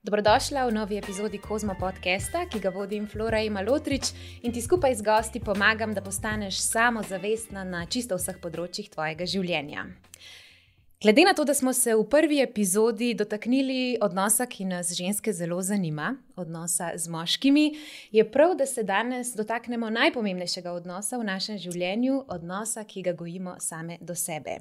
Dobrodošla v novi epizodi Kozmo podcasta, ki ga vodim Flora Malotrič in ti skupaj z gosti pomagam, da postaneš samozavestna na čisto vseh področjih tvojega življenja. Glede na to, da smo se v prvi epizodi dotaknili odnosa, ki nas ženske zelo zanima, odnosa z moškimi, je prav, da se danes dotaknemo najpomembnejšega odnosa v našem življenju, odnosa, ki ga gojimo same do sebe.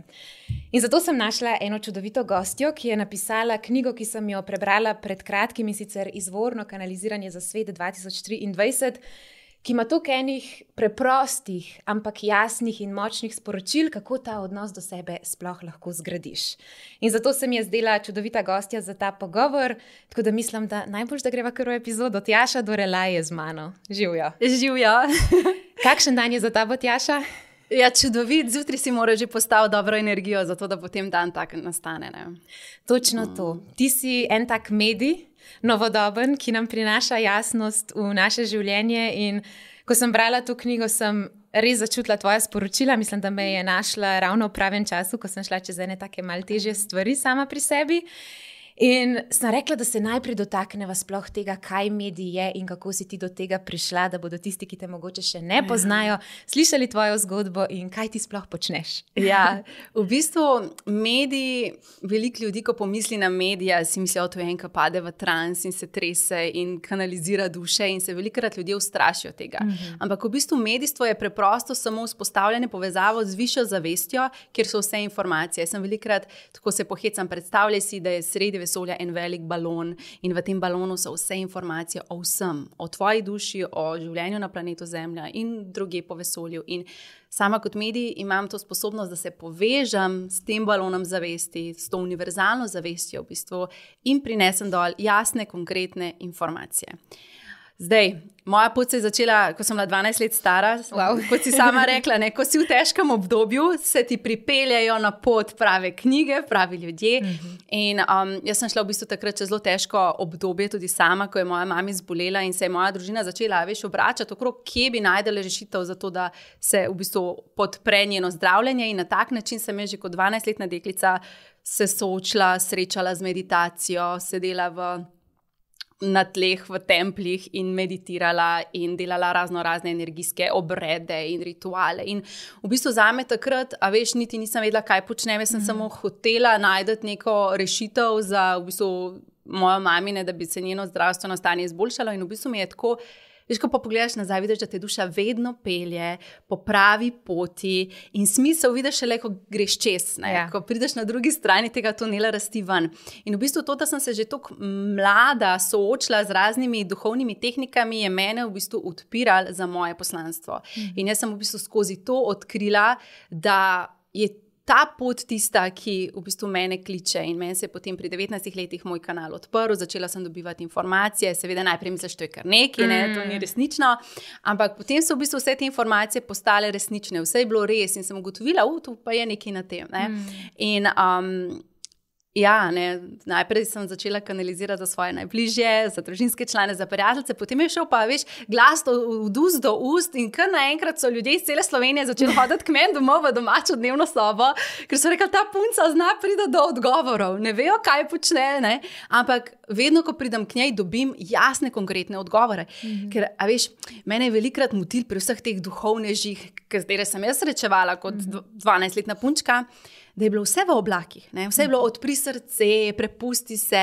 In zato sem našla eno čudovito gostjo, ki je napisala knjigo, ki sem jo prebrala pred kratkim, in sicer Izvorno kanaliziranje za svet 2023, ki ima toliko enih preprostih, ampak jasnih in močnih sporočil, kako ta odnos do sebe sploh lahko zgradiš. In zato se mi je zdela čudovita gostja za ta pogovor, tako da mislim, da najbolj, da greva kar v epizodo. Tjaša Dorelaj je z mano. Živjo. Živjo. Kakšen dan je za tabo, Tjaša? Ja, čudovit. Zjutraj si mora že postaviti dobro energijo, zato da potem dan tak nastane. Ne? Točno to. Ti si en tak medij, novodoben, ki nam prinaša jasnost v naše življenje, in ko sem brala to knjigo, sem res začutila tvoja sporočila. Mislim, da me je našla ravno v pravem času, ko sem šla čez ene take malo težje stvari sama pri sebi. In sem rekla, da se najprej dotakneva sploh tega, kaj medij je in kako si ti do tega prišla, da bodo tisti, ki te mogoče še ne poznajo, slišali tvojo zgodbo in kaj ti sploh počneš. Ja, v bistvu mediji, veliko ljudi, ko pomisli na medije, si mislijo, da to je en, ki pade v trans in se trese in kanalizira duše, in se velikokrat ljudje ustrašijo tega. Ampak v bistvu medijstvo je preprosto samo vzpostavljanje povezavo z višjo zavestjo, kjer so vse informacije. Sem velikokrat, tako se pohecam, predstavljaj si, da je sredi vesolja en velik balon in v tem balonu so vse informacije o vsem, o tvoji duši, o življenju na planetu Zemlja in druge po vesolju. In sama kot medij imam to sposobnost, da se povežem s tem balonom zavesti, s to univerzalno zavestjo v bistvu, in prinesem dol jasne, konkretne informacije. Zdaj, moja pot se je začela, ko sem bila 12 let stara, kot si sama rekla, ne, ko si v težkem obdobju, se ti pripeljajo na pot prave knjige, pravi ljudje. In jaz sem šla v bistvu takrat čez zelo težko obdobje, tudi sama, ko je moja mama zbolela in se je moja družina začela obračati okrog, kje bi najdela rešitev za to, da se v bistvu podpre njeno zdravljenje. In na tak način sem že kot 12-letna deklica se soočila, srečala z meditacijo, sedela na tleh v templjih in meditirala in delala razne energijske obrede in rituale. In v bistvu zame takrat, niti nisem vedela, kaj počnem, jaz sem samo hotela najti neko rešitev za v bistvu mojo mamine, da bi se njeno zdravstveno stanje izboljšalo, in v bistvu mi je tako. Veš, ko pa pogledaš nazaj, vidiš, da te duša vedno pelje po pravi poti, in smisel vidiš šele, ko greš čez, ko prideš na drugi strani tega tunela rasti ven. In v bistvu to, da sem se že tako mlada soočila z raznimi duhovnimi tehnikami, je mene v bistvu odpiralo za moje poslanstvo. In jaz sem v bistvu skozi to odkrila, da je ta pot tista, ki v bistvu mene kliče, in meni se je potem pri 19 letih moj kanal odprl, začela sem dobivati informacije, seveda najprej misliš, to je kar nekaj, to ni resnično, ampak potem so v bistvu vse te informacije postale resnične, vse je bilo res in sem ugotovila, tu pa je nekaj na tem. In najprej sem začela kanalizirati za svoje najbližje, za družinske člane, za prijateljice, potem je šel pa glas od ust do ust, in kar naenkrat so ljudje iz cele Slovenije začeli hoditi k meni domov v domačo dnevno sobo, ker so rekli, ta punca zna priti do odgovorov, ne vejo, kaj počne, ampak vedno, ko pridem k njej, dobim jasne, konkretne odgovore. Ker, mene je velikrat motil pri vseh teh duhovnežih, katere sem jaz srečevala kot 12-letna punčka, da je bilo vse v oblakih, vse je bilo odpri srce, prepusti se.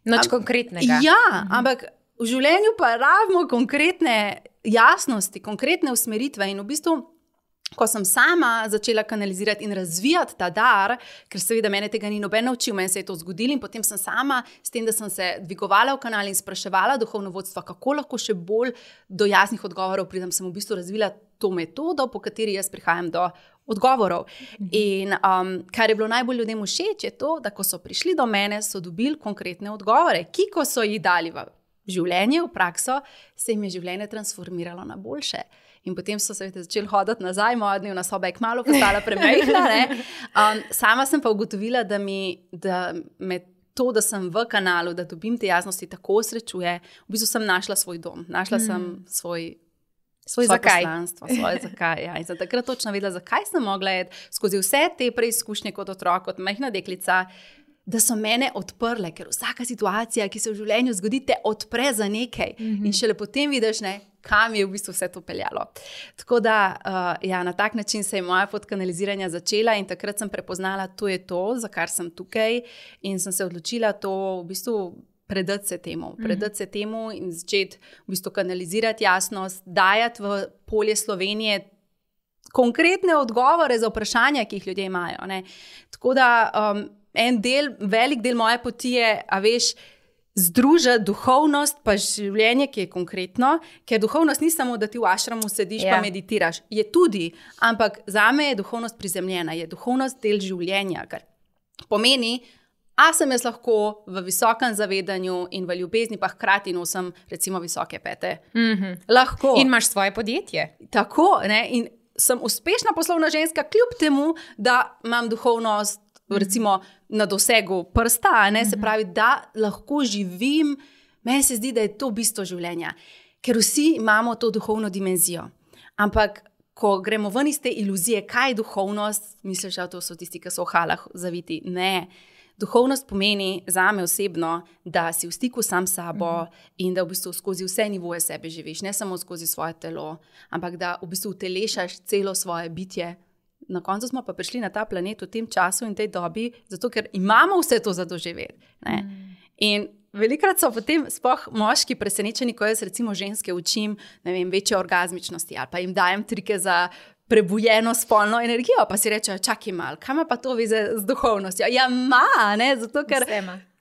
Nič konkretnega. Ja, ampak v življenju pa rabimo konkretne jasnosti, konkretne usmeritve, in v bistvu, ko sem sama začela kanalizirati in razvijati ta dar, ker seveda mene tega ni noben naučil, meni se je to zgodilo, in potem sem sama s tem, da sem se dvigovala v kanal in spraševala duhovno vodstvo, kako lahko še bolj do jasnih odgovorov pridem, sem v bistvu razvila to metodo, po kateri jaz prihajam do odgovorov. In kar je bilo najbolj ljudem všeč, je to, da ko so prišli do mene, so dobili konkretne odgovore, ki ko so jih dali v življenje, v prakso, se jim je življenje transformiralo na boljše. In potem so se začeli hoditi nazaj, moja dnevna soba je kmalu postala premajhna. Sama sem pa ugotovila, da me to, da sem v kanalu, da dobim te jasnosti, tako srečuje. V bistvu sem našla svoj dom, našla sem svoj poslanstvo, svoje zakaj. Ja. In sem takrat točno vedela, zakaj sem mogla skozi vse te preizkušnje kot otrok, kot majhna deklica, da so mene odprle, ker vsaka situacija, ki se v življenju zgodi, te odpre za nekaj. In šele potem vidiš, kam je v bistvu vse to peljalo. Tako da, na tak način se je moja pot kanaliziranja začela in takrat sem prepoznala, to je to, za kar sem tukaj, in sem se odločila to v bistvu predati se temu in začeti v bistvu kanalizirati jasnost, dajati v polje Slovenije konkretne odgovore za vprašanja, ki jih ljudje imajo. Tako da velik del moje poti je, združiti duhovnost pa življenje, ki je konkretno, ker duhovnost ni samo, da ti v ašramu sediš pa meditiraš. Je tudi, ampak zame je duhovnost prizemljena, je duhovnost del življenja, kar pomeni, sem jaz lahko v visokem zavedanju in v ljubezni, pa hkrati nosim recimo visoke pete. Lahko. In imaš svoje podjetje. Tako, in sem uspešna poslovna ženska, kljub temu, da imam duhovnost recimo na dosegu prsta, se pravi, da lahko živim. Meni se zdi, da je to bistvo življenja, ker vsi imamo to duhovno dimenzijo. Ampak ko gremo ven iz te iluzije, kaj je duhovnost, misliš, da to so tisti, ki so v halah zaviti. Ne. Duhovnost pomeni zame osebno, da si v stiku sam s sabo in da v bistvu skozi vse nivoje sebe živiš, ne samo skozi svoje telo, ampak da v bistvu utelešaš celo svoje bitje. Na koncu smo pa prišli na ta planet v tem času in tej dobi, zato ker imamo vse to za doživeti. In velikrat so potem sploh moški presenečeni, ko jaz recimo ženske učim, večje orgazmičnosti ali pa jim dajem trike za prebujeno spolno energijo, pa si rečejo, čakaj malo, kaj ima pa to veze z duhovnostjo? Zato ker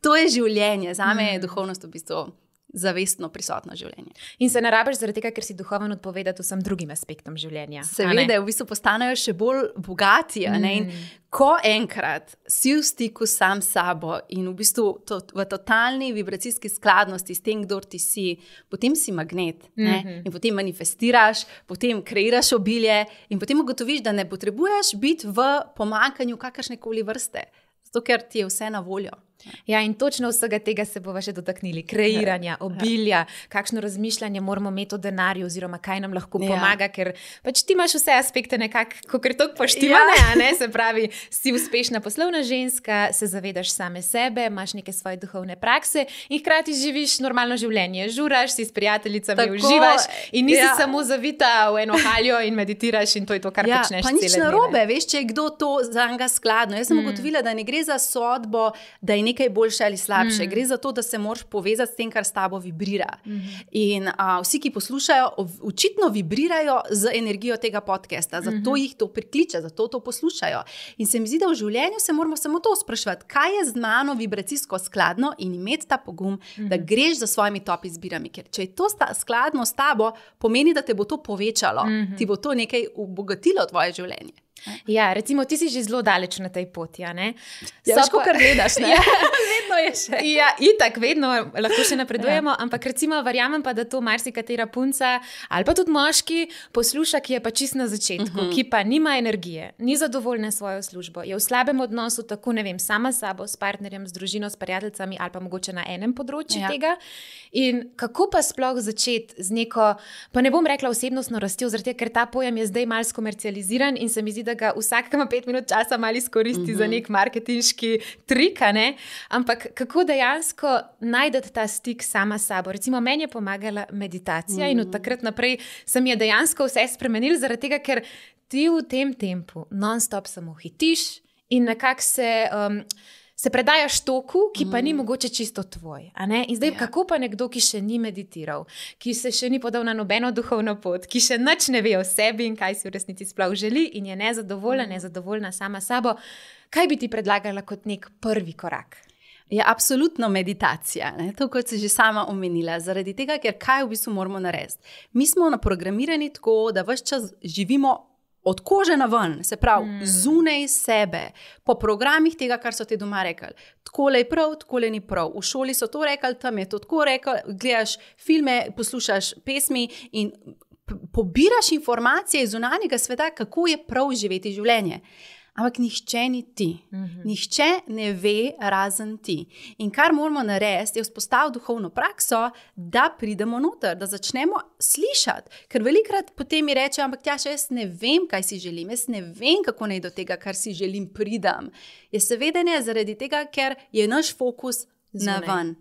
to je življenje. Zame je duhovnost v bistvu zavestno prisotno življenje. In se ne rabiš zaradi tega, ker si duhoven odpovedati vsem drugim aspektom življenja. Seveda, v bistvu postanejo še bolj bogati. In ko enkrat si v stiku sam s sabo in v bistvu v totalni vibracijski skladnosti s tem, kdor ti si, potem si magnet. In potem manifestiraš, potem kreiraš obilje in potem ugotoviš, da ne potrebuješ biti v pomanjkanju kakršnekoli vrste. Zato, ker ti je vse na voljo. Ja, in točno vsega tega se bova še dotaknili. Kreiranja, obilja, kakšno razmišljanje moramo imeti o denarju oziroma kaj nam lahko pomaga, ker pač ti imaš vse aspekte nekako, kakor to poštivane, se pravi, si uspešna poslovna ženska, se zavedaš same sebe, imaš neke svoje duhovne prakse in hkrati živiš normalno življenje. Žuraš, si s prijateljicami, uživaš in nisi samo zavita v eno haljo in meditiraš in to je to, kar počneš cele dneve. Pa nič narobe, veš, če je kdo to za njega skladno. Jaz sem ugotovila, da ne gre za sodbo, da je nekaj boljše ali slabše. Gre za to, da se moraš povezati s tem, kar s tabo vibrira. In vsi, ki poslušajo, očitno vibrirajo z energijo tega podcasta. Zato jih to prikliče, zato to poslušajo. In se mi zdi, da v življenju se moramo samo to spraševati, kaj je z mano vibracijsko skladno in imeti ta pogum, da greš za svojimi top izbirami. Ker če je to skladno s tabo, pomeni, da te bo to povečalo. Ti bo to nekaj obogatilo tvoje življenje. Ja, recimo, ti si že zelo daleč na tej poti, Veš, ko kar gledaš, ne? Vedno je še. Ja, itak, vedno lahko še napredujemo, ampak recimo verjamem pa, da to marsikatera punca ali pa tudi moški posluša, ki je pa čist na začetku, ki pa nima energije, ni zadovoljna s svojo službo, je v slabem odnosu, tako sama s sabo, s partnerjem, s družino, s prijateljicami ali pa mogoče na enem področju tega. In kako pa sploh začeti z neko, pa ne bom rekla osebnostno rastjo, zaradi tega, ker ta pojem je zdaj malo skomercializiran in se mi zdi, da ga vsak, ki ima 5 minut časa, malo izkoristi za nek marketinški trik, ampak kako dejansko najdete ta stik sama s sabo. Recimo, meni je pomagala meditacija in od takrat naprej se mi je dejansko vse spremenilo, zaradi tega, ker ti v tem tempu non-stop samo hitiš in nekako se predajaš toku, ki pa ni mogoče čisto tvoj. In zdaj, kako pa nekdo, ki še ni meditiral, ki se še ni podal na nobeno duhovno pot, ki še nič ne ve o sebi in kaj si v resnici sploh želi in je nezadovoljna sama sabo, kaj bi ti predlagala kot nek prvi korak? Je absolutno meditacija, to kot si že sama omenila, zaradi tega, ker kaj v bistvu moramo narediti. Mi smo naprogramirani tako, da ves čas živimo od kože na ven, se pravi, zunaj sebe, po programih tega, kar so ti doma rekli. Takole je prav, takole ni prav. V šoli so to rekli, tam je to tako rekli, gledaš filme, poslušaš pesmi in pobiraš informacije iz zunanjega sveta, kako je prav živeti življenje. ampak nihče ni ti. Nihče ne ve razen ti. In kar moramo narediti, je vzpostaviti duhovno prakso, da pridemo noter, da začnemo slišati. Ker velikrat potem mi reče, ampak Tjaša, jaz ne vem, kaj si želim, jaz ne vem, kako naj do tega, kar si želim, pridem. Je seveda ne zaradi tega, ker je naš fokus na ven.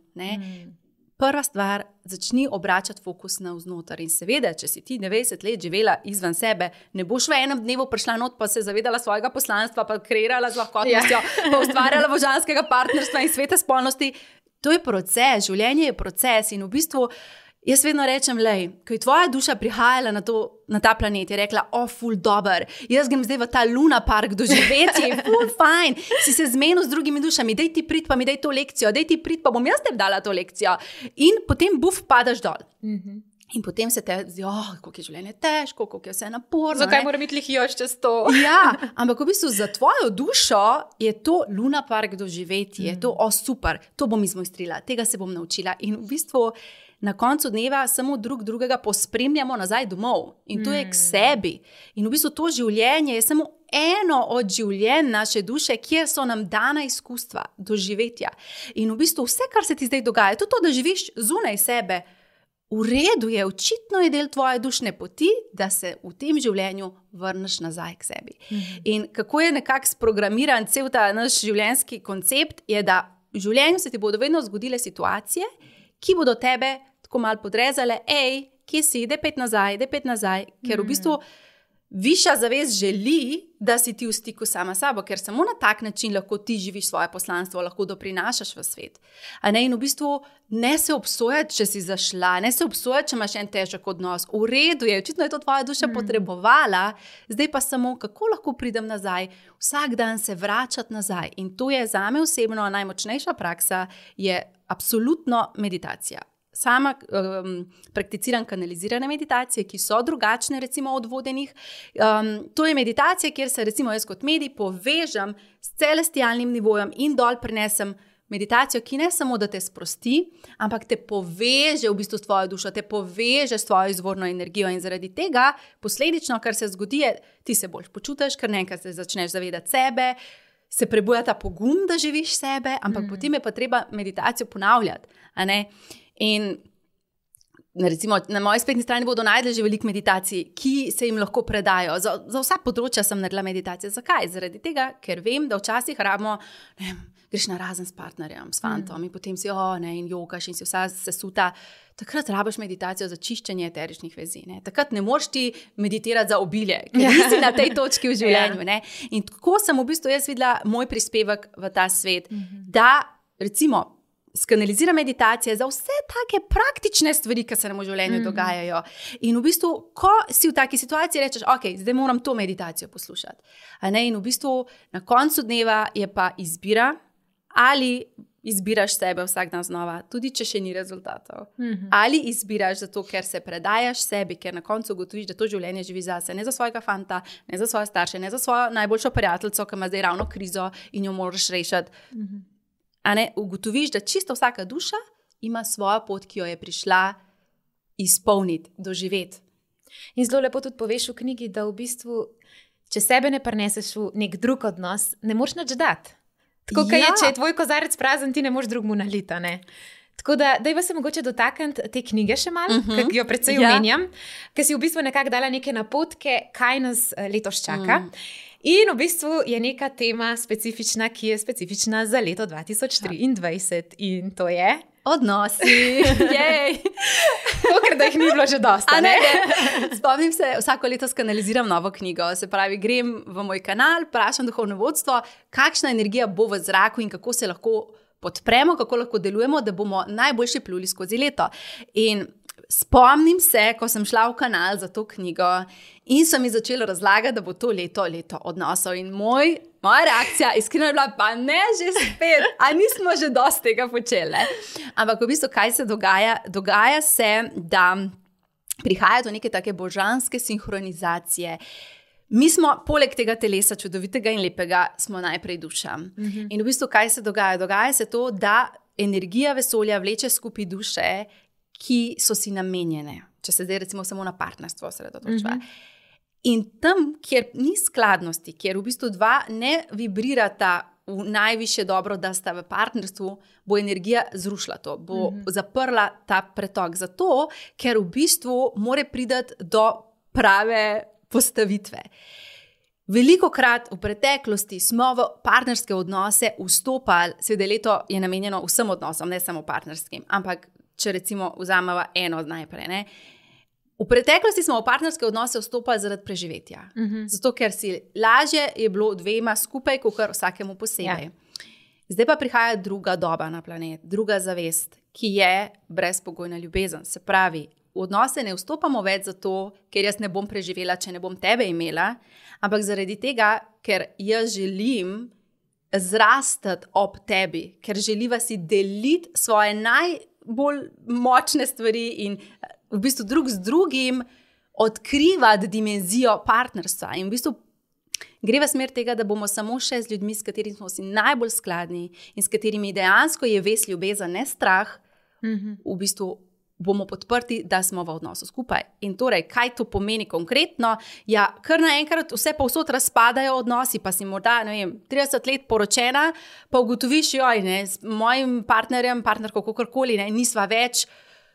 Prva stvar, začni obračati fokus na vznoter. In seveda, če si ti 90 let živela izven sebe, ne boš v enem dnevu prišla not, pa se zavedala svojega poslanstva, pa kreirala z lahkotnostjo, pa ustvarjala božanskega partnerstva in svete spolnosti. To je proces, življenje je proces in v bistvu jaz vedno rečem, ko je tvoja duša prihajala na ta planet, je rekla, ful dober, jaz grem zdaj v ta Luna Park doživeti, ful fajn, si se zmenil z drugimi dušami, daj ti prid, pa mi daj to lekcijo, daj ti prid, pa bom jaz tebi dala to lekcijo. In potem padaš dol. In potem se te zdi, kako je življenje težko, kako je vse naporno. Zakaj moram iti lihijoč čez to? Ja, ampak v bistvu za tvojo dušo je to Luna Park doživeti, je to, super, to bom izmojstrila, tega se bom naučila. In v bistvu na koncu dneva samo drugega pospremljamo nazaj domov. In to je k sebi. In v bistvu to življenje je samo eno od življenj naše duše, kjer so nam dana izkustva, doživetja. In v bistvu vse, kar se ti zdaj dogaja, to, da živiš zunaj sebe, v redu je, očitno je del tvoje dušne poti, da se v tem življenju vrneš nazaj k sebi. In kako je nekako sprogramiran cel ta naš življenjski koncept, je, da v življenju se ti bodo vedno zgodile situacije, ki bodo tebe tako malo podrezale, kje si, daj pet nazaj, ker v bistvu višja zavest želi, da si ti v stiku sama s sabo, ker samo na tak način lahko ti živiš svoje poslanstvo, lahko doprinašaš v svet. In v bistvu ne se obsojati, če si zašla, ne se obsojati, če imaš en težek odnos. V redu je, očitno je to tvoja duša potrebovala, zdaj pa samo, kako lahko pridem nazaj, vsak dan se vračati nazaj. In to je zame osebno najmočnejša praksa, je absolutno meditacija. Sama prakticiram kanalizirane meditacije, ki so drugačne recimo od vodenih. To je meditacija, kjer se recimo jaz kot medij povežem s celestialnim nivojem in dol prinesem meditacijo, ki ne samo, da te sprosti, ampak te poveže v bistvu s tvojo dušo, te poveže s tvojo izvorno energijo in zaradi tega posledično, kar se zgodi, je, ti se bolj počutiš, ker nekaj se začneš zavedati sebe, se prebuja ta pogum, da živiš sebe, ampak potem je pa treba meditacijo ponavljati, In recimo na moji spletni strani bodo najdli že veliko meditacij, ki se jim lahko predajo. Za vsa področja sem naredila meditacije. Zakaj? Zaradi tega, ker vem, da včasih rabimo, greš na razen s partnerjem, s fantom in potem si, in jogaš in si vsa sesuta. Takrat rabiš meditacijo za čiščenje eteričnih vezi. Takrat ne moreš ti meditirati za obilje, ker nisi na tej točki v življenju. In tako sem v bistvu jaz videla moj prispevek v ta svet, da recimo skanalizira meditacije za vse take praktične stvari, ki se nam v življenju dogajajo. In v bistvu, ko si v taki situaciji, rečeš, zdaj moram to meditacijo poslušati. In v bistvu na koncu dneva je pa izbira, ali izbiraš sebe vsak dan znova, tudi če še ni rezultatov. Ali izbiraš zato, ker se predajaš sebi, ker na koncu ugotoviš, da to življenje živi zase, ne za svojega fanta, ne za svoje starše, ne za svojo najboljšo prijateljico, ki ima zdaj ravno krizo in jo moraš rešiti. Ugotoviš, da čisto vsaka duša ima svojo pot, ki jo je prišla izpolniti, doživeti. In zelo lepo tudi poveš v knjigi, da v bistvu, če sebe ne prineseš v nek drug odnos, ne moreš nič dati. Tako je, če je tvoj kozarec prazen, ti ne moreš drugmu naliti. Tako da, dajva se mogoče dotakniti te knjige še malo, ki jo predvsej omenjam, ker si v bistvu nekako dala neke napotke, kaj nas letos čaka. In v bistvu je neka tema specifična, ki je specifična za leto 2023 in to je odnosi. Ker da jih ni bilo že dosta. Spomnim se, vsako leto skanaliziram novo knjigo. Se pravi, grem v moj kanal, vprašam duhovno vodstvo, kakšna energija bo v zraku in kako se lahko podpremo, kako lahko delujemo, da bomo najboljše pluli skozi leto. In spomnim se, ko sem šla v kanal za to knjigo in so mi začeli razlagati, da bo to leto odnosov. In moja reakcija iskreno je bila, pa ne že spet, a nismo že dosti tega počeli. Ampak v bistvu, kaj se dogaja? Dogaja se, da prihaja do neke take božanske sinhronizacije. Mi smo poleg tega telesa, čudovitega in lepega, smo najprej duša. In v bistvu, kaj se dogaja? Dogaja se to, da energija vesolja vleče skupaj duše, ki so si namenjene, če se zdaj recimo samo na partnerstvo osredotočiva. In tam, kjer ni skladnosti, kjer v bistvu dva ne vibrirata v najvišje dobro, da sta v partnerstvu, bo energija zrušila to, bo zaprla ta pretok. Zato, ker v bistvu mora priti do prave postavitve. Velikokrat v preteklosti smo v partnerske odnose vstopali, seveda leto je namenjeno vsem odnosom, ne samo partnerskim, ampak če recimo vzamemo eno najprej, ne. V preteklosti smo v partnerske odnose vstopali zaradi preživetja. Zato, ker si lažje je bilo dvema skupaj, kot vsakemu posebej. Ja. Zdaj pa prihaja druga doba na planet, druga zavest, ki je brezpogojna ljubezen. Se pravi, v odnose ne vstopamo več zato, ker jaz ne bom preživela, če ne bom tebe imela, ampak zaradi tega, ker jaz želim zrastati ob tebi, ker želiva si deliti svoje najbolj močne stvari in v bistvu drug z drugim odkrivati dimenzijo partnerstva. In v bistvu gre v smer tega, da bomo samo še z ljudmi, s katerimi smo si najbolj skladni in s katerimi dejansko je vez ljubezen, ne strah, v bistvu bomo podprti, da smo v odnosu skupaj. In torej, kaj to pomeni konkretno? Ja, kar naenkrat vse povsod razpadajo odnosi, pa si morda, ne vem, 30 let poročena, pa ugotoviš, joj, ne, s mojim partnerjem, partnerko, kakorkoli, ne, nisva več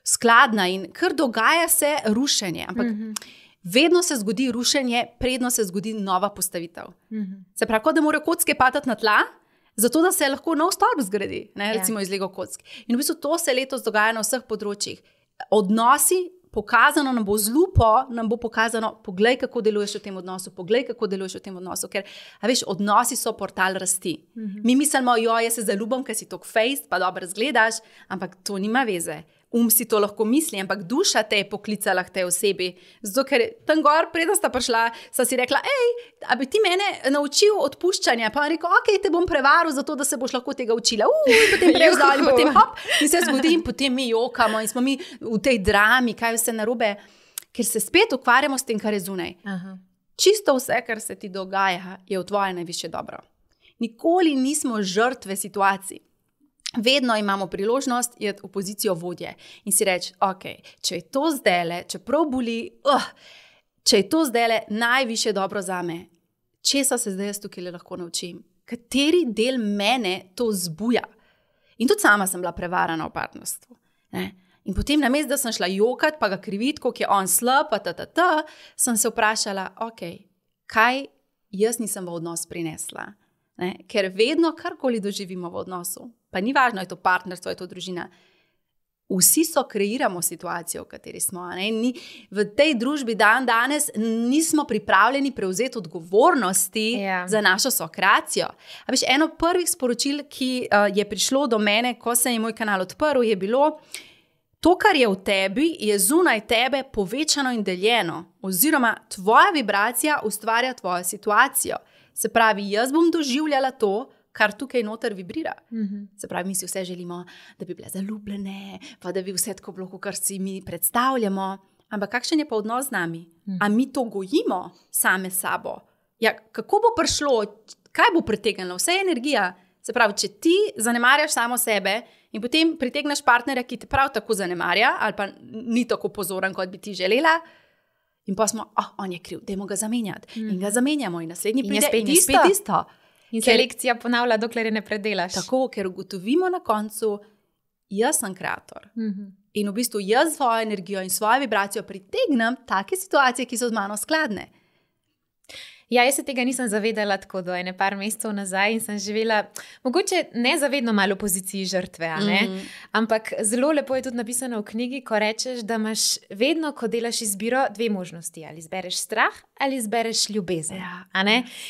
skladna in kar dogaja se rušenje. Ampak vedno se zgodi rušenje, predno se zgodi nova postavitev. Se pravi, kot da morajo kocke padati na tla, zato da se lahko nov stolp zgradi, ne, recimo iz Lego kock. In v bistvu to se letos dogaja na vseh področjih. Odnosi, pokazano nam bo z lupo, nam bo pokazano, poglej, kako deluješ v tem odnosu, poglej, kako deluješ v tem odnosu, ker, a veš, odnosi so portal rasti. Mi mislimo, jaz se zaljubim, ker si tok fejst, pa dobro razgledaš, ampak to nima veze. Si to lahko misli, ampak duša te je poklicala k tej osebi. Zato, ker tam gor, preden sta prišla, sta si rekla, a bi ti mene naučil odpuščanja? Pa on rekel, te bom prevaril zato, da se boš lahko tega učila. Potem prevzal in potem hop, in se zgodi in potem mi jokamo in smo mi v tej drami, kaj vse narobe, ker se spet ukvarjamo s tem, kar je zunaj. Čisto vse, kar se ti dogaja, je v tvoje najvišje dobro. Nikoli nismo žrtve situacij. Vedno imamo priložnost iti v pozicijo vodje in si reči, če je to zdajle, čeprav boli, če je to zdajle najviše dobro zame, česa se zdaj jaz tukaj lahko naučim? Kateri del mene to zbuja? In tudi sama sem bila prevarana v partnerstvu. Ne? In potem namesto, da sem šla jokat, pa ga kriviti, koliko je on slab, sem se vprašala, kaj jaz nisem v odnos prinesla? Ne? Ker vedno karkoli doživimo v odnosu, pa ni važno, je to partnerstvo, je to družina. Vsi kreiramo situacijo, v kateri smo. Ne? V tej družbi danes nismo pripravljeni prevzeti odgovornosti za našo sokreacijo. A veš, eno prvih sporočil, ki je prišlo do mene, ko se je moj kanal odprl, je bilo, to, kar je v tebi, je zunaj tebe povečano in deljeno. Oziroma, tvoja vibracija ustvarja tvojo situacijo. Se pravi, jaz bom doživljala to, kar tukaj noter vibrira. Se pravi, mi si vse želimo, da bi bile zaljubljene, pa da bi vse tako bilo, kar si mi predstavljamo. Ampak kakšen je pa odnos z nami? A mi to gojimo same sabo? Ja, kako bo prišlo, kaj bo pritegnilo? Vse je energija. Se pravi, če ti zanemarjaš samo sebe in potem pritegneš partnerja, ki te prav tako zanemarja, ali pa ni tako pozoren, kot bi ti želela, in pa smo, on je kriv, dajmo ga zamenjati. In ga zamenjamo in naslednji pride in spet isto. In se lekcija ponavlja, dokler je ne predelaš. Tako, ker ugotovimo na koncu, jaz sem kreator. In v bistvu jaz svojo energijo in svojo vibracijo pritegnem take situacije, ki so z mano skladne. Ja, jaz se tega nisem zavedala tako do ene par mesecev nazaj in sem živela, mogoče nezavedno malo v poziciji žrtve, ampak zelo lepo je tudi napisano v knjigi, ko rečeš, da imaš vedno, ko delaš izbiro, dve možnosti, ali izbereš strah ali izbereš ljubezen.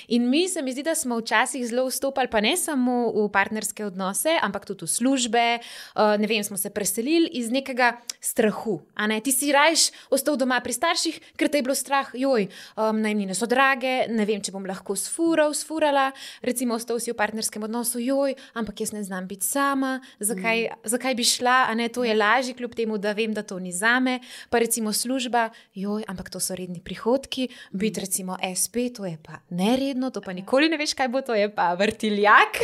In mi se mi zdi, da smo včasih zelo vstopali, pa ne samo v partnerske odnose, ampak tudi v službe, ne vem, smo se preselili iz nekega strahu. Ti si rajš ostal doma pri starših, ker te je bilo strah, najemnine so drage, ne vem, če bom lahko sfurala, recimo ostal si v partnerskem odnosu, ampak jaz ne znam biti sama, zakaj bi šla, to je lažje, kljub temu, da vem, da to ni zame, pa recimo služba, ampak to so redni prihodki, biti recimo SP, to je pa neredno, to pa nikoli ne veš, kaj bo, to je pa vrtiljak.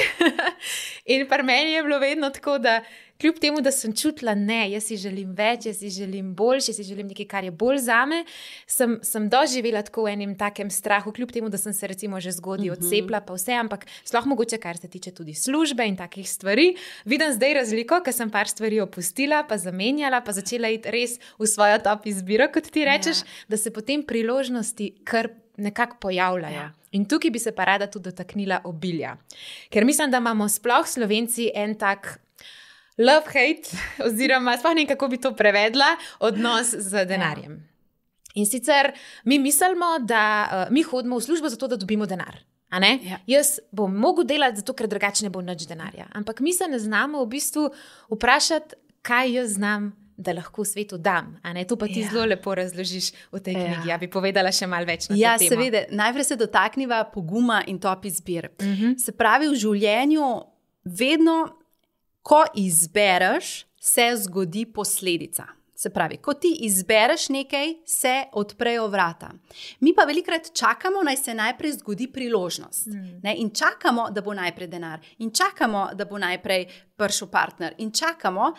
In pri meni je bilo vedno tako, da kljub temu, da sem čutila, ne, jaz si želim več, jaz si želim boljše, jaz si želim nekaj, kar je bolj zame, sem doživela tako v enem takem strahu, kljub temu, da sem se recimo že zgodaj odcepila, pa vse, ampak sploh mogoče, kar se tiče tudi službe in takih stvari. Vidim zdaj razliko, ker sem par stvari opustila, pa zamenjala, pa začela iti res v svojo top izbiro, kot ti rečeš, da se potem priložnosti kar nekako pojavljajo. Ja. In tukaj bi se pa rada tudi dotaknila obilja. Ker mislim, da imamo sploh Slovenci en tak love-hate, oziroma sploh ne vem, kako bi to prevedla, odnos z denarjem. In sicer mi mislimo, da mi hodimo v službo zato, da dobimo denar. A ne? Ja. Jaz bom mogel delati zato, ker drugače ne bo nič denarja. Ampak mi se ne znamo v bistvu vprašati, kaj jaz znam, da lahko v svetu dam. A ne? To pa ti zelo lepo razložiš v tej knjigi. Ja bi povedala še malo več na to temo. Ja, seveda. Najprej se dotakniva poguma in top izbir. Se pravi, v življenju vedno, ko izbereš, se zgodi posledica. Se pravi, ko ti izbereš nekaj, se odprejo vrata. Mi pa velikrat čakamo, naj se najprej zgodi priložnost. Ne? In čakamo, da bo najprej denar. In čakamo, da bo najprej prišel partner. In čakamo,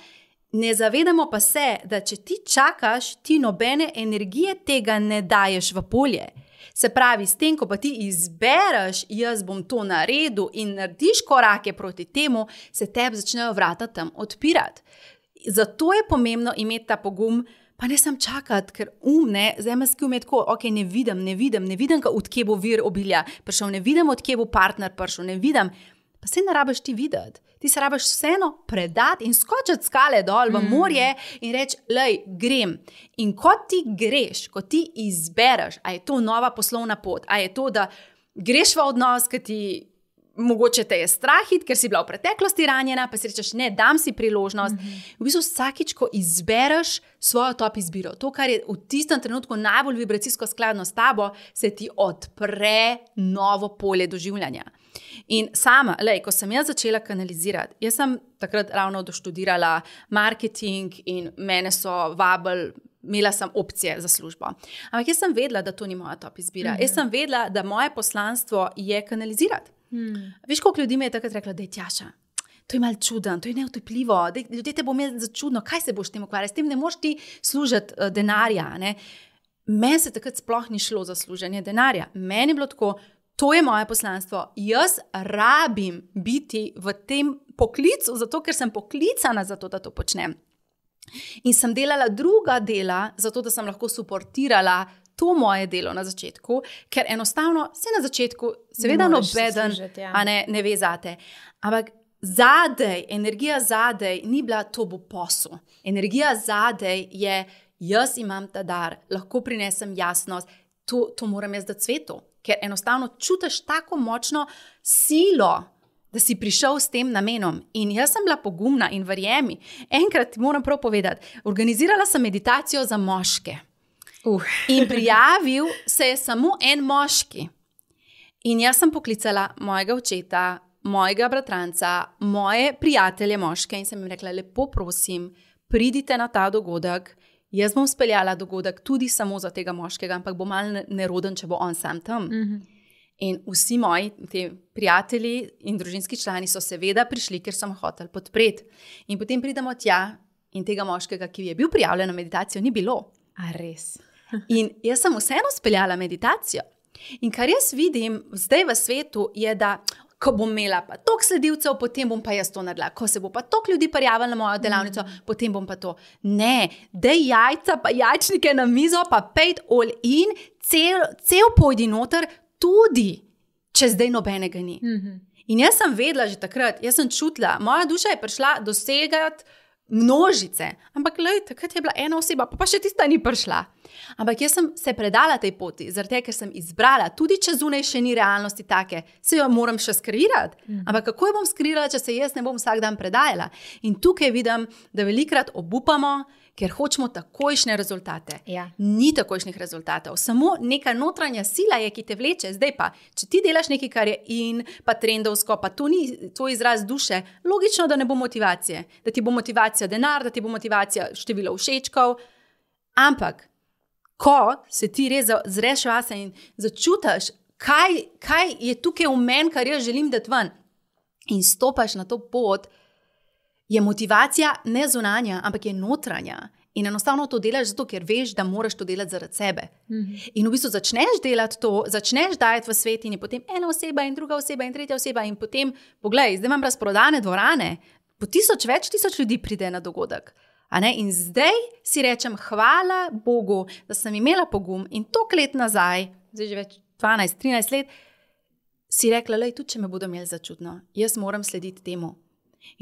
ne zavedamo pa se, da če ti čakaš, ti nobene energije tega ne daješ v polje. Se pravi, s tem, ko pa ti izbereš, jaz bom to naredil in narediš korake proti temu, se tebi začnejo vrata tam odpirati. Zato je pomembno imeti ta pogum, pa ne sam čakati, ker zemeljski je tako, ok, ne vidim, odkje bo vir obilja prišel, ne vidim, odkje bo partner prišel, ne vidim, pa se ne rabiš ti videti. Ti se rabiš vseeno predati in skočiti skale dol v morje in reči, lej, grem. In ko ti greš, ko ti izbereš, a je to nova poslovna pot, a je to, da greš v odnos, ki ti mogoče te je strahit, ker si bila v preteklosti ranjena, pa si rečeš, ne, dam si priložnost. V bistvu vsakič, ko izbereš svojo top izbiro, to, kar je v tistem trenutku najbolj vibracijsko skladno s tabo, se ti odpre novo polje doživljanja. In sama, ko sem jaz začela kanalizirati, jaz sem takrat ravno doštudirala marketing in mene so vabili, imela sem opcije za službo. Ampak jaz sem vedela, da to ni moja top izbira. Jaz sem vedela, da moje poslanstvo je kanalizirati. Veš, koliko ljudi mi je takrat rekla, da je Tjaša, to je malo čuden, to je neutepljivo, ljudje te bo imeli za čudno, kaj se boš tem ukvarjati, s tem ne moš ti služiti denarja. Ne? Meni se takrat sploh ni šlo za služenje denarja. Meni je bilo tako, to je moje poslanstvo, jaz rabim biti v tem poklicu, zato ker sem poklicana za to, da to počnem. In sem delala druga dela, zato da sem lahko suportirala to moje delo na začetku, ker enostavno se na začetku seveda nobeden ne ve zate. Ampak zadej, energija zadej ni bila, to bo posel. Energija zadej je, jaz imam ta dar, lahko prinesem jasnost, to moram jaz dati svetu. Ker enostavno čutiš tako močno silo, da si prišel s tem namenom. In jaz sem bila pogumna in verjemi. Enkrat ti moram prav povedati, organizirala sem meditacijo za moške. In prijavil se je samo en moški. In jaz sem poklicala mojega očeta, mojega bratranca, moje prijatelje moške in sem jim rekla, lepo prosim, pridite na ta dogodek. Jaz bom speljala dogodek tudi samo za tega moškega, ampak bo malo neroden, če bo on sam tam. In vsi moji prijatelji in družinski člani so seveda prišli, ker sem hotel podpreti. In potem pridemo tja in tega moškega, ki je bil prijavljen na meditacijo, ni bilo. A res? In jaz sem vseeno speljala meditacijo. In kar jaz vidim zdaj v svetu je, da ko bom imela pa toliko sledilcev, potem bom pa jaz to naredila. Ko se bo pa toliko ljudi prijavilo na mojo delavnico, potem bom pa to. Ne, daj jajca pa jajčnike na mizo, pa pejt all in, cel pojdi noter, tudi, če zdaj nobenega ni. In jaz sem vedela že takrat, jaz sem čutila, moja duša je prišla dosegati množice, ampak takrat je bila ena oseba, pa še tista ni prišla. Ampak jaz sem se predala tej poti, zaradi tega, ker sem izbrala, tudi če zunaj še ni realnosti take, se jo moram še skreirati. Ampak kako jo bom skreirala, če se jaz ne bom vsak dan predajala? In tukaj vidim, da velikrat obupamo, ker hočemo takojšnje rezultate. Ja. Ni takojšnjih rezultatov. Samo neka notranja sila je, ki te vleče. Zdaj pa, če ti delaš nekaj, kar je in, pa trendovsko, pa to ni tvoj izraz duše, logično, da ne bo motivacije. Da ti bo motivacija denar, da ti bo motivacija število všečkov. Ampak, ko se ti res zreš vase in začutiš, kaj je tukaj v meni, kar jaz želim dati ven, in stopaš na to pot, je motivacija ne zunanja, ampak je notranja. In enostavno to delaš zato, ker veš, da moraš to delati zaradi sebe. In v bistvu začneš delati to, začneš dajati v svet in je potem ena oseba in druga oseba in tretja oseba in potem, poglej, zdaj imam razprodane dvorane, po več tisoč ljudi pride na dogodek. In zdaj si rečem, hvala Bogu, da sem imela pogum in toliko let nazaj, zdaj že več 12-13 let, si rekla, lej, tudi če me bodo imeli začutno, jaz moram slediti temu.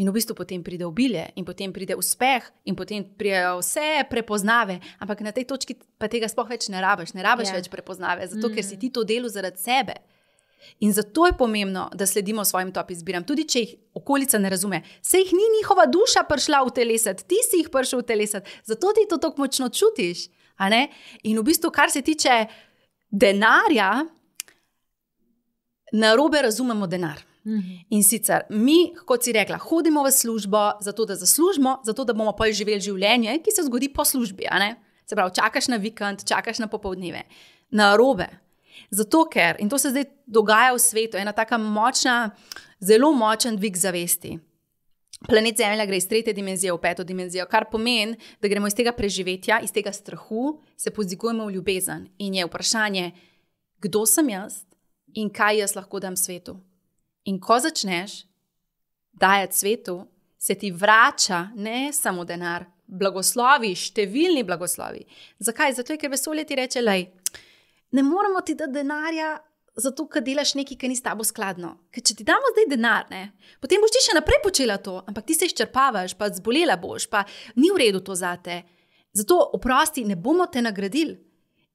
In v bistvu potem pride obilje in potem pride uspeh in potem pridejo vse prepoznave, ampak na tej točki pa tega sploh več ne rabiš več prepoznave, zato ker si ti to delal zaradi sebe. In zato je pomembno, da sledimo svojim top izbiram, tudi če jih okolica ne razume. Saj jih ni njihova duša prišla utelesati, ti si jih prišel utelesati, zato ti to tako močno čutiš. In v bistvu, kar se tiče denarja, narobe razumemo denar. In sicer mi, kot si rekla, hodimo v službo, zato da zaslužimo, zato da bomo pa živeli življenje, ki se zgodi po službi. Se pravi, čakaš na vikend, čakaš na popoldneve. Narobe. Zato ker, in to se zdaj dogaja v svetu, ena taka močna, zelo močen dvig zavesti. Planet Zemlja gre iz 3. dimenzije v 5. dimenzijo, kar pomeni, da gremo iz tega preživetja, iz tega strahu, se pozigujemo v ljubezen. In je vprašanje, kdo sem jaz in kaj jaz lahko dam svetu. In ko začneš dajati svetu, se ti vrača ne samo denar, blagoslovi, številni blagoslovi. Zakaj? Zato, ker vesolje ti reče, lej, ne moramo ti dati denarja, zato, ker delaš nekaj, kar ni s tabo skladno. Ker če ti damo zdaj denar, potem boš ti še naprej počela to, ampak ti se izčrpavaš, pa zbolela boš, pa ni v redu to zate. Zato oprosti, ne bomo te nagradili.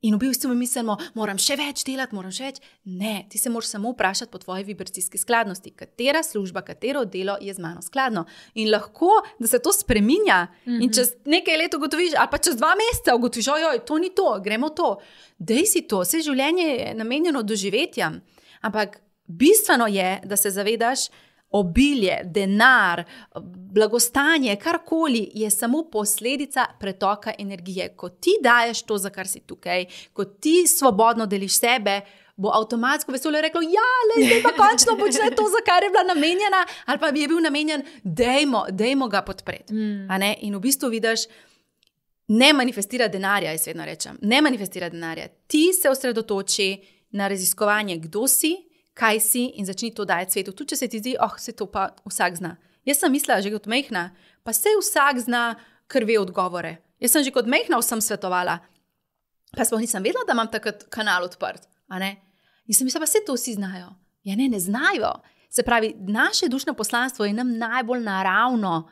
In v bistvu mi mislimo, moram še več delati, moram še več. Ne, ti se moraš samo vprašati po tvoji vibracijski skladnosti, katera služba, katero delo je z mano skladno. In lahko, da se to spreminja in čez nekaj let ugotoviš, ali pa čez 2 meseca ugotoviš, ojoj, to ni to, gremo to. Dej si to, vse življenje je namenjeno doživetjem. Ampak bistveno je, da se zavedaš, obilje, denar, blagostanje, karkoli je samo posledica pretoka energije. Ko ti daješ to, za kar si tukaj, ko ti svobodno deliš sebe, bo avtomatsko vesolje reklo, ja, zdaj pa končno počne to, za kar je bila namenjena, ali pa bi je bil namenjen, dejmo ga podpreti. In v bistvu vidiš, ne manifestira denarja, jaz vedno rečem, ne manifestira denarja. Ti se osredotoči na raziskovanje, kdo si, kaj si in začni to dajati svetu. Tudi če se ti zdi, se to pa vsak zna. Jaz sem mislila že kot majhna, pa se vsak zna, ker ve odgovore. Jaz sem že kot majhna vsem svetovala. Pa sploh nisem vedela, da imam takrat kanal odprt. In sem mislila, pa se to vsi znajo. Ja ne znajo. Se pravi, naše dušno poslanstvo je nam najbolj naravno.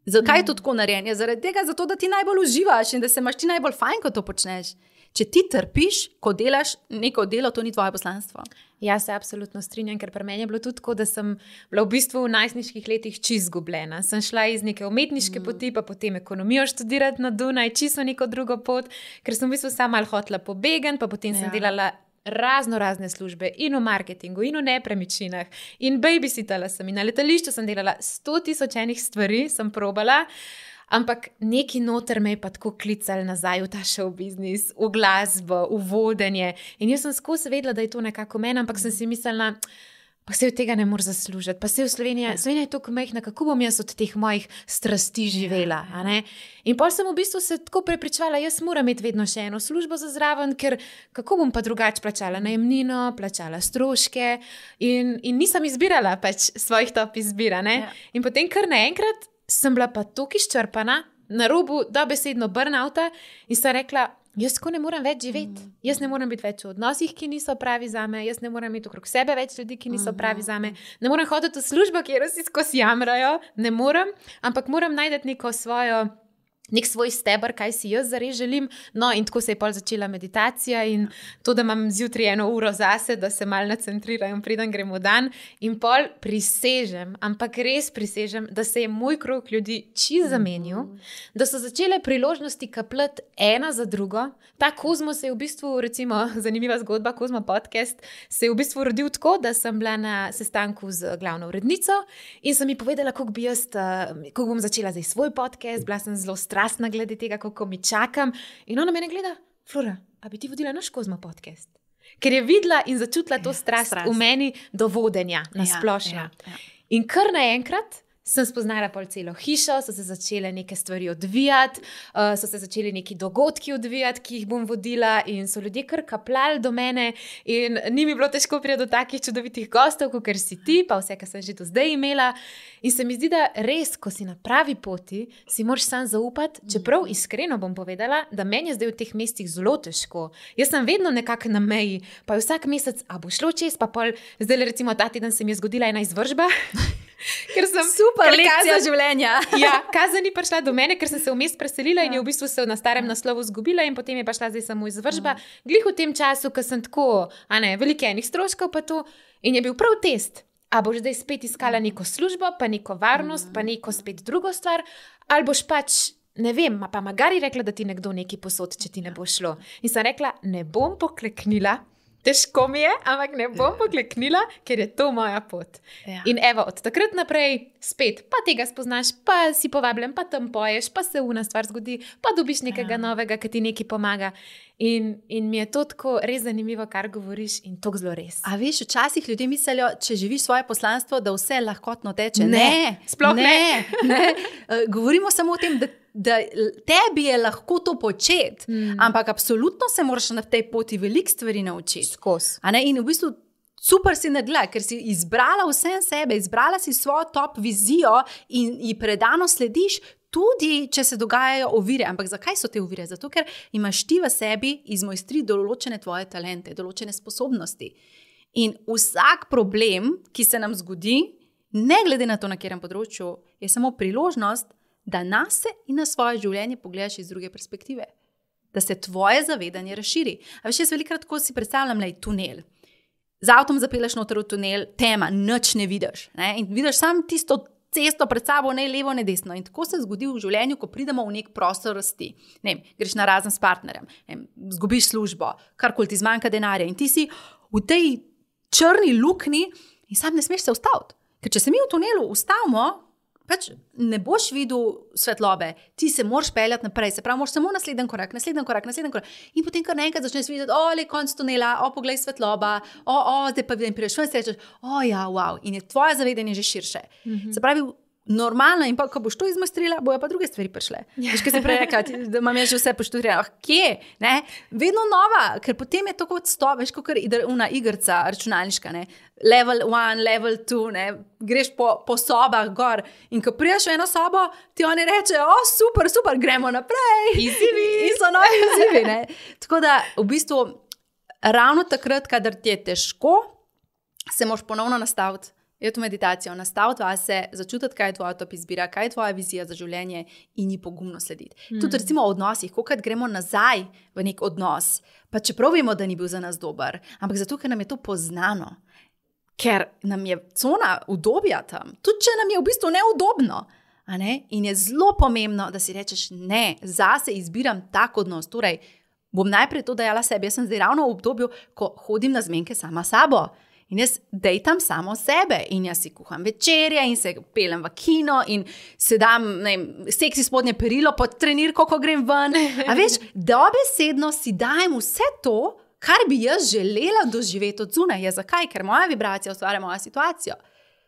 Zakaj je to tako narejeno? Zaradi tega, zato da ti najbolj uživaš in da se imaš ti najbolj fajn, ko to počneš. Če ti trpiš, ko delaš neko delo, to ni tvoje poslanstvo. Ja, se absolutno strinjam, ker pri meni je bilo tudi tako, da sem bila v bistvu v najstniških letih čisto izgubljena. Sem šla iz neke umetniške poti, pa potem ekonomijo študirati na Dunaj, čisto neko drugo pot, ker sem v bistvu sama malo hotela pobegati, pa potem sem delala razne službe in v marketingu, in v nepremičninah, in babysittala sem, in na letališču sem delala 100.000 stvari, sem probala. Ampak neki noter me je pa tako klicali nazaj v ta show biznis, v glasbo, v vodenje. In jaz sem skozi vedela, da je to nekako meni, ampak sem si mislila, pa se od tega ne moreš zaslužiti. Pa se v Slovenija je tako majhna, kako bom jaz od teh mojih strasti živela. In potem sem v bistvu se tako prepričevala, jaz moram imeti vedno še eno službo za zraven, ker kako bom pa drugače plačala najemnino, plačala stroške in nisem izbirala pač svojih top izbira. In potem kar naenkrat sem bila pa toliko izčrpana, na robu dobesedno burnouta in sem rekla, jaz tako ne morem več živeti. Jaz ne morem biti več v odnosih, ki niso pravi zame, jaz ne morem imeti okrog sebe več ljudi, ki niso pravi zame, ne morem hoditi v službo, kjer vsi skozi jamrajo, ne morem, ampak moram najti nek svoj steber, kaj si jaz zares želim. No, in tako se je pol začela meditacija in to, da imam zjutraj 1 uro zase, da se malo nacentriram, preden grem v dan. In pol prisežem, ampak res prisežem, da se je moj krog ljudi čisto zamenil, da so začele priložnosti kapljati ena za drugo. Ta Kozmo se je v bistvu, recimo, zanimiva zgodba, Kozmo podcast, se je v bistvu rodil tako, da sem bila na sestanku z glavno urednico in sem mi povedala, kako bom začela zdaj svoj podcast, bila sem zelo strastna glede tega, kako mi čakam. In ona mene gleda, Flora, a bi ti vodila naš Kozmo podcast? Ker je videla in začutila to strast v meni do vodenja na splošno. In kar naenkrat sem spoznala pol celo hišo, so se začele neke stvari odvijati, so se začeli neki dogodki odvijati, ki jih bom vodila in so ljudje kar kapljali do mene in ni mi bilo težko priti do takih čudovitih gostov, kot si ti, pa vse, kar sem že do zdaj imela. In se mi zdi, da res, ko si na pravi poti, si moraš sam zaupati, čeprav iskreno bom povedala, da meni je zdaj v teh mestih zelo težko. Jaz sem vedno nekako na meji, pa vsak mesec, a bo šlo čez, pa pol, zdaj recimo ta teden se mi je zgodila ena izvršba, ker sem super lekcija življenja. Ja, kazen ni prišla do mene, ker sem se vmes preselila in je v bistvu se na starem naslovu zgubila in potem je pa šla zdaj samo izvršba. Glih v tem času, ko sem tako, veliko enih stroškov pa to in je bil prav test. A boš zdaj spet iskala neko službo, pa neko varnost, pa neko spet drugo stvar, ali boš pač, ne vem, pa magari rekla, da ti nekdo nekaj posod, če ti ne bo šlo. In sem rekla, ne bom pokleknila, težko mi je, ampak ne bom pokleknila, ker je to moja pot. Ja. In evo, od takrat naprej spet, pa tega spoznaš, pa si povabljen, pa tam poješ, pa se una stvar zgodi, pa dobiš nekega novega, ki ti nekaj pomaga. In mi je to tako res zanimivo, kar govoriš in to zelo res. A veš, včasih ljudje mislijo, če živiš svoje poslanstvo, da vse lahkotno teče. Ne, sploh ne. Govorimo samo o tem, da tebi je lahko to početi, ampak absolutno se moraš na tej poti veliko stvari naučiti. Skozi. In v bistvu super si naredila, ker si izbrala vse sebe, izbrala si svojo top vizijo in ji predano slediš, tudi če se dogajajo ovire. Ampak zakaj so te ovire? Zato, ker imaš ti v sebi izmojstri določene tvoje talente, določene sposobnosti. In vsak problem, ki se nam zgodi, ne glede na to, na katerem področju, je samo priložnost, da nas in na svoje življenje pogledaš iz druge perspektive. Da se tvoje zavedanje razširi. A veš, jaz velikokrat, ko si predstavljam tunel. Z avtom zapelješ noter v tunel, tema, nič ne vidiš. Ne? In vidiš samo tisto cesto pred sabo, ne levo, ne desno. In tako se zgodi v življenju, ko pridemo v nek prostor rasti. Greš na razen s partnerjem, zgubiš službo, karkoli ti zmanjka denarja in ti si v tej črni luknji in sam ne smeš se ustaviti. Ker če se mi v tunelu ustavimo, pač ne boš videl svetlobe, ti se moraš peljati naprej, se pravi, moraš samo naslednji korak. In potem kar naenkrat začneš videti, le konc tunela, poglej svetloba, zdaj pa vidim, prideš ven in rečeš, ja, wow, in je tvoje zavedanje že širše. Se pravi, normalno in pa, ko boš to izmojstrila, bojo pa druge stvari prišle. Veš, kaj si prej rekla, da imam že vse poštudrirano. Kje? Ne? Vedno nova, ker potem je to kot veš, kot una igrica računalniška, ne? Level 1, level 2, ne? Greš po sobah gor in ko priješ v eno sobo, ti oni rečejo, super, gremo naprej. Izzivi. In so novi izzivi, ne? Tako da, v bistvu, ravno takrat, kadar ti je težko, se moraš ponovno nastaviti. Je to meditacijo, nastaviti vase, začutiti, kaj je tvoja top izbira, kaj je tvoja vizija za življenje in ji pogumno slediti. Tudi recimo v odnosih, kokrat gremo nazaj v nek odnos, pa čeprav vemo, da ni bil za nas dober, ampak zato, ker nam je to poznano, ker nam je cona udobja tam, tudi če nam je v bistvu neudobno. In je zelo pomembno, da si rečeš, ne, zase izbiram tak odnos, torej bom najprej to dajala sebi, jaz sem zdaj ravno v obdobju, ko hodim na zmenke sama sabo. In jaz dejtam samo sebe in jaz si kuham večerje in se pelem v kino in se dam, seksi spodnje perilo pod trenirko, ko grem ven. A veš, dobesedno si dajem vse to, kar bi jaz želela doživeti od zunaj. Zakaj? Ker moja vibracija ustvarja mojo situacijo.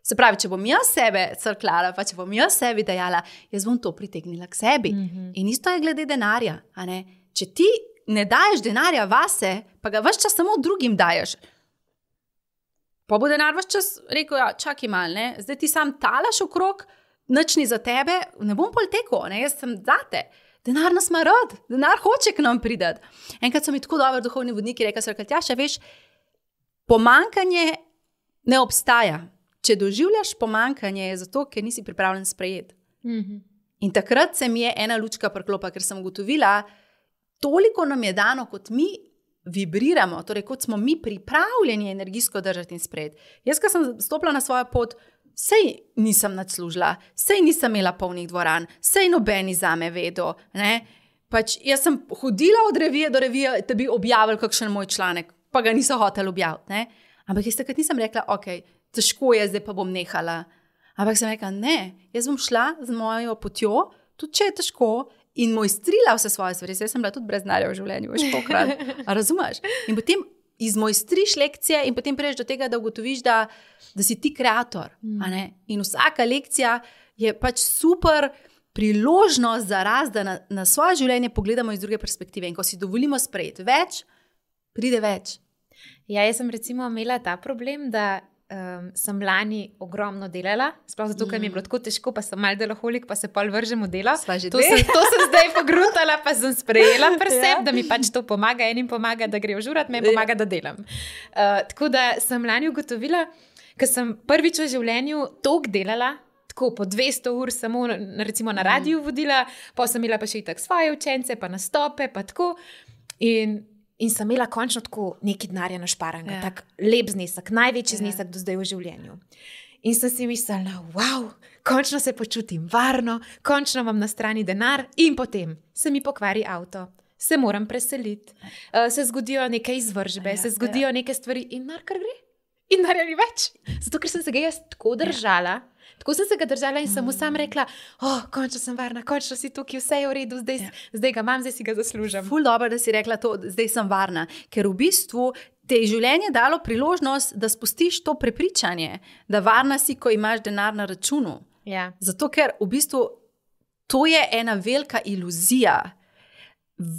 Se pravi, če bom jaz sebe crkljala, pa če bom jaz sebi dajala, jaz bom to pritegnila k sebi. In isto je glede denarja. Če ti ne daješ denarja vase, pa ga ves čas samo drugim daješ, pa bo denar ves čas rekel, čakaj mal, zdaj ti sam talaš okrog, nič ni za tebe, ne bom pol tekel, jaz sem zate. Denar nas ima rad, denar hoče k nam pridati. Enkrat so mi tako dobri duhovni vodniki rekli, Tjaša, veš, pomankanje ne obstaja. Če doživljaš pomankanje, je zato, ker nisi pripravljen sprejeti. In takrat se mi je ena lučka priklopa, ker sem ugotovila, toliko nam je dano, kot mi vibriramo, torej kot smo mi pripravljeni energijsko držati in sprejeti. Jaz, ko sem stopila na svojo pot, sej nisem nadslužila, sej nisem imela polnih dvoran, sej nobeni zame vedo. Pač jaz sem hodila od revije do revije, da bi objavili kakšen moj članek, pa ga niso hoteli objaviti. Ampak jaz takrat nisem rekla, težko je, zdaj pa bom nehala. Ampak sem rekla, ne, jaz bom šla z mojo potjo, tudi če je težko, in mojstrila vse svoje stvari. Jaz sem bila tudi brez denarja v življenju, veš pokrat. A razumeš? In potem izmojstriš lekcije in potem priješ do tega, da ugotoviš, da si ti kreator. In vsaka lekcija je pač super priložnost za rast, da na svoje življenje pogledamo iz druge perspektive. In ko si dovolimo sprejeti več, pride več. Ja, jaz sem recimo imela ta problem, da sem lani ogromno delala, sploh zato, ker mi je bilo tako težko, pa sem malo deloholik, pa se pol vržem v delo. To sem zdaj pogruntala, pa sem sprejela pri sebi, da mi pač to pomaga, enim pomaga, da grejo žurat, meni pomaga, da delam. Tako da sem lani ugotovila, ker sem prvič v življenju toliko delala, tako po 200 ur samo recimo na radiju vodila, pa sem imela pa še itak svoje učence, pa nastope, pa tako. In sem imela končno tako nekaj denarja našparanega, tak lep znesek, največji znesek do zdaj v življenju. In sem si mislila, wow, končno se počutim varno, končno imam na strani denar in potem se mi pokvari avto, se moram preseliti, se zgodijo neke izvržbe, se zgodijo neke stvari in denar kar gre. In denarja ni več. Zato, ker sem se ga jaz tako držala, tako sem se ga držala in sem mu sam rekla, končno sem varna, končno si tukaj, vse je v redu, zdaj ga imam, zdaj si ga zaslužim. Ful dobro, da si rekla to, zdaj sem varna, ker v bistvu te je življenje dalo priložnost, da spustiš to prepričanje, da varna si, ko imaš denar na računu. Ja. Zato, ker v bistvu to je ena velika iluzija.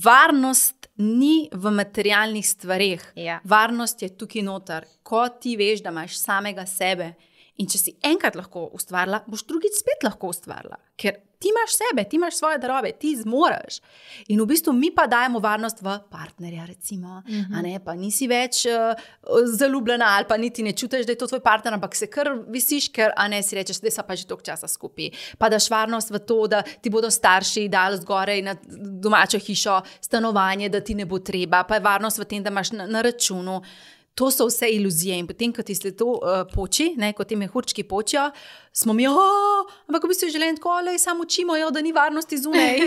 Varnost ni v materialnih stvareh. Ja. Varnost je tukaj noter, ko ti veš, da imaš samega sebe. In če si enkrat lahko ustvarila, boš drugič spet lahko ustvarila. Ker ti imaš sebe, ti imaš svoje darove, ti zmoreš. In v bistvu mi pa dajemo varnost v partnerja, recimo. A ne, pa nisi več zaljubljena ali pa niti ne čutiš, da je to tvoj partner, ampak se kar visiš, ker si rečeš, da so pa že toliko časa skupaj. Pa daš varnost v to, da ti bodo starši dali zgoraj na domačo hišo, stanovanje, da ti ne bo treba, pa je varnost v tem, da imaš na računu. To so vse iluzije in potem, ko ti se to poči, ko ti mehurčki počijo, smo mi, ampak v bistvu želim tako, samo učimo, da ni varnosti zunaj.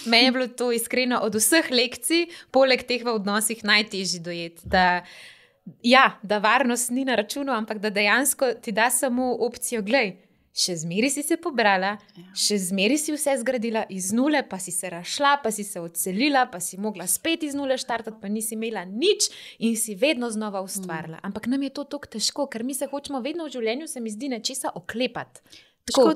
Meni je bilo to iskreno od vseh lekcij, poleg teh v odnosih najtežji dojeti, da varnost ni na računu, ampak da dejansko ti da samo opcijo, glej, še zmeri si se pobrala, še zmeri si vse zgradila iz nule, pa si se razšla, pa si se odselila, pa si mogla spet iz nule štartati, pa nisi imela nič in si vedno znova ustvarila. Ampak nam je to tako težko, ker mi se hočemo vedno v življenju, se mi zdi, nečesa oklepati. Tako,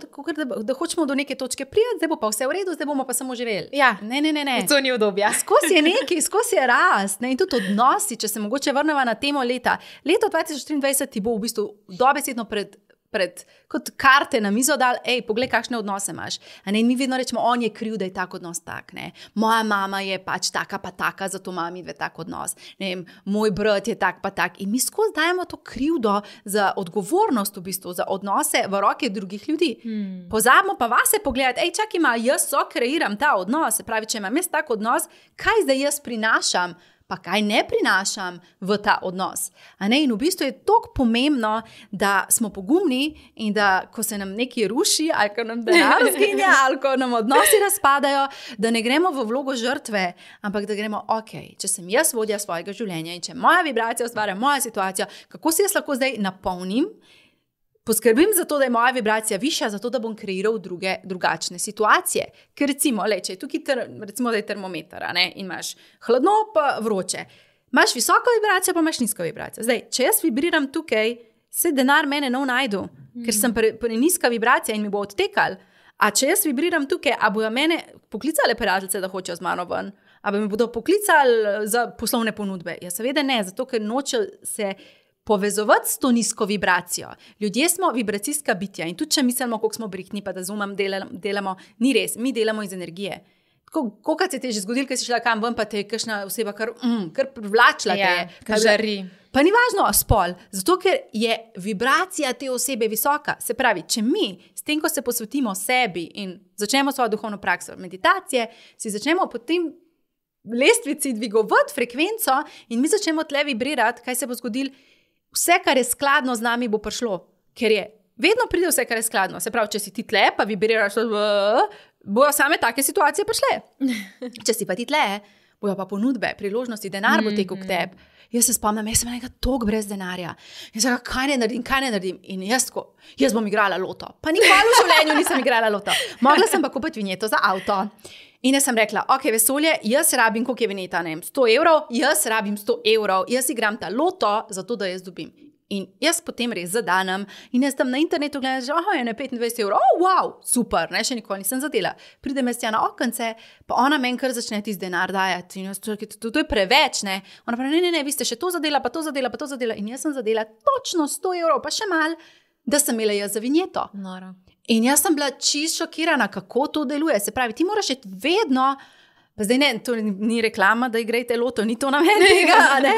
da hočemo do neke točke prijeti, zdaj bo pa vse v redu, zdaj bomo pa samo živeli. Ja, ne. To ni udobja. Skozi je nekaj, skozi je rast. In tudi odnosi, če se mogoče vrnemo na temo leta. Leto 2023 ti bo v bistvu dobesedno kot karte na mizo dal, poglej, kakšne odnose imaš. In mi vedno rečemo, on je kriv, da je tak odnos tak. Ne? Moja mama je pač taka pa taka, zato ima mi dve tak odnos. Moj brat je tak pa tak. In mi skozi dajemo to krivdo za odgovornost v bistvu, za odnose v roke drugih ljudi. Pozabimo pa vase pogledati, čakaj, jaz kreiram ta odnos. Se pravi, če imam jaz tak odnos, kaj zdaj jaz prinašam? Pa kaj ne prinašam v ta odnos. In v bistvu je toliko pomembno, da smo pogumni in da, ko se nam nekaj ruši, ali ko nam denar zginja, ali ko nam odnosi razpadajo, da ne gremo v vlogo žrtve, ampak da gremo, če sem jaz vodja svojega življenja in če moja vibracija ustvarja moja situacija, kako si jaz lahko zdaj napolnim, poskrbim za to, da je moja vibracija višja, zato da bom kreiral drugačne situacije. Ker recimo, če je tukaj recimo, da je termometer, in imaš hladno pa vroče. Imaš visoko vibracijo, pa imaš nizko vibracijo. Zdaj, če jaz vibriram tukaj, se denar mene ne najdu, ker sem nizka vibracija in mi bo odtekal. A če jaz vibriram tukaj, a bojo mene poklicale prijateljice, da hočejo z mano ven? A bi me bodo poklicali za poslovne ponudbe? Ja, seveda ne, zato ker noče se povezovati s to nizko vibracijo. Ljudje smo vibracijska bitja in tudi če mislimo, koliko smo brihni, pa da zumam delamo, ni res, mi delamo iz energije. Kolikrat se ti je že zgodilo, ker si šla kam ven, pa te je kakšna oseba kar privlačila te je. Kar žari. Pa ni važno spol, zato ker je vibracija te osebe visoka. Se pravi, če mi s tem, ko se posvetimo sebi in začnemo svojo duhovno prakso meditacije, si začnemo potem lestvici dvigovati frekvenco in mi začnemo tle vibrirati, kaj se bo zgodilo. Vse, kar je skladno z nami, bo prišlo. Ker vedno pride vse, kar je skladno. Se pravi, če si ti tle, pa vibriraš, bojo same take situacije prišle. Če si pa ti tle, bojo pa ponudbe, priložnosti, denar bo tekel k tebi. Jaz se spomnim, jaz sem nekaj toliko brez denarja. Jaz sem rekla, kaj ne naredim? In jaz bom igrala loto. Pa nikoli v življenju nisem igrala loto. Mogla sem pa kupiti vinjeto za avto. In jaz sem rekla, vesolje, jaz rabim, koliko je vinjeta, 100 evrov, jaz rabim 100 evrov, jaz igram ta loto, zato da jaz dobim. In jaz potem res zadanem in jaz tam na internetu gledam, že je na 25 €, wow, super, ne, še nikoli nisem zadela. Pridem jaz tja na okence, pa ona meni kar začne tisti denar dajati. In jaz, to je preveč, ne. Ona pravi, ne, vi ste še to zadela, pa to zadela, pa to zadela. In jaz sem zadela točno 100 €, pa še mal, da sem imela jaz za vinjeto. Noro. In jaz sem bila čisto šokirana, kako to deluje. Se pravi, ti moraš iti vedno, pa zdaj ne, to ni reklama, da igrajte loto, ni to namen tega, ne.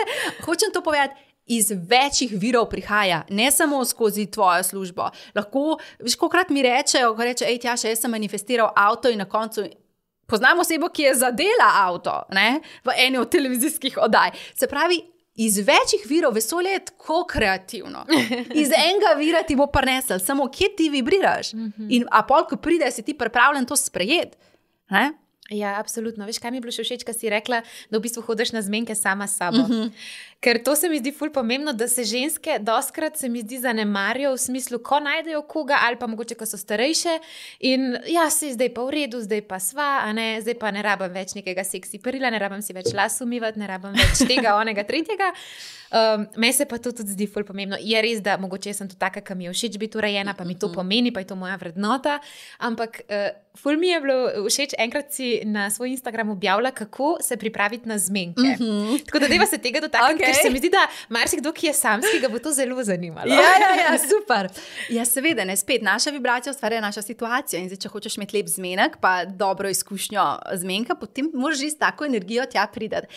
Hočem to povedati, iz večjih virov prihaja, ne samo skozi tvojo službo. Lahko, veš, kolikrat mi rečejo, ko reče, Tjaša, jaz sem manifestiral avto in na koncu poznam osebo, ki je zadela avto, ne, v eni od televizijskih oddaj. Se pravi, iz večjih virov, vesolje je tako kreativno. Iz enega vira ti bo prinesel, samo kje ti vibriraš. In a pol, ko pride, si ti pripravljen to sprejeti. Ne? Ja, absolutno. Veš, kaj mi je bilo še všeč, ko si rekla, da v bistvu hodiš na zmenke sama s sabo. Ker to se mi zdi ful pomembno, da se ženske doskrat se mi zdi zanemarijo v smislu, ko najdejo koga ali pa mogoče, ko so starejše in ja, si zdaj pa v redu, zdaj pa sva, a ne, zdaj pa ne rabim več nekega seksi perila, ne rabim si več las umivati, ne rabim več tega, onega, tretjega. Meni se pa to tudi zdi ful pomembno. Je res, da mogoče sem to taka, ki mi je všeč biti urejena, pa mi to pomeni, pa je to moja vrednota, ampak ful mi je bilo všeč, enkrat si na svoj Instagram objavila, kako se pripraviti na zmenke. Tako da deva se tega dotakniti, ker se mi zdi, da marsikdo, ki je samski, ga bo to zelo zanimalo. Ja, super. Ja, seveda, ne, spet, naša vibracija ustvarja naša situacija in zdaj, če hočeš imeti lep zmenek, pa dobro izkušnjo zmenka, potem moraš res tako energijo tja pridati.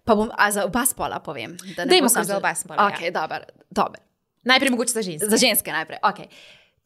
Pa bom, za oba spola povem. Dajmo kar za oba spola. Ok, dobro. Najprej mogoče za ženske. Za ženske najprej, ok.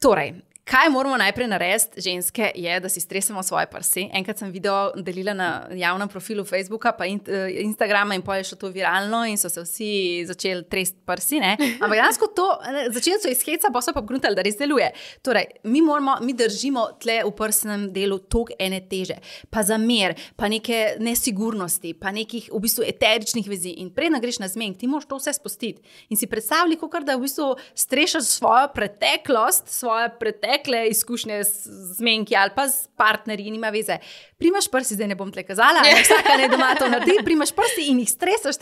Torej, kaj moramo najprej narediti, ženske, je, da si stresemo svoje prsi. Enkrat sem video delila na javnem profilu Facebooka pa Instagrama in potem je šlo to viralno in so se vsi začeli tresti prsi, ne. Ampak dansko to, začeli so iz heca, pa so pa pogruntali, da res deluje. Torej, mi držimo tle v prsnem delu tok ene teže, pa zamer, pa neke nesigurnosti, pa nekih v bistvu eteričnih vezi. In predna greš na zmenk, ti moraš to vse spustiti. In si predstavljaj, kakor da v bistvu strešaš svojo preteklost, svoje pretekle izkušnje z zmenki ali pa s partnerji, nima veze. Primaš prsi, zdaj ne bom tle kazala, vsaka ne doma to naredi, primaš prsi in jih stresaš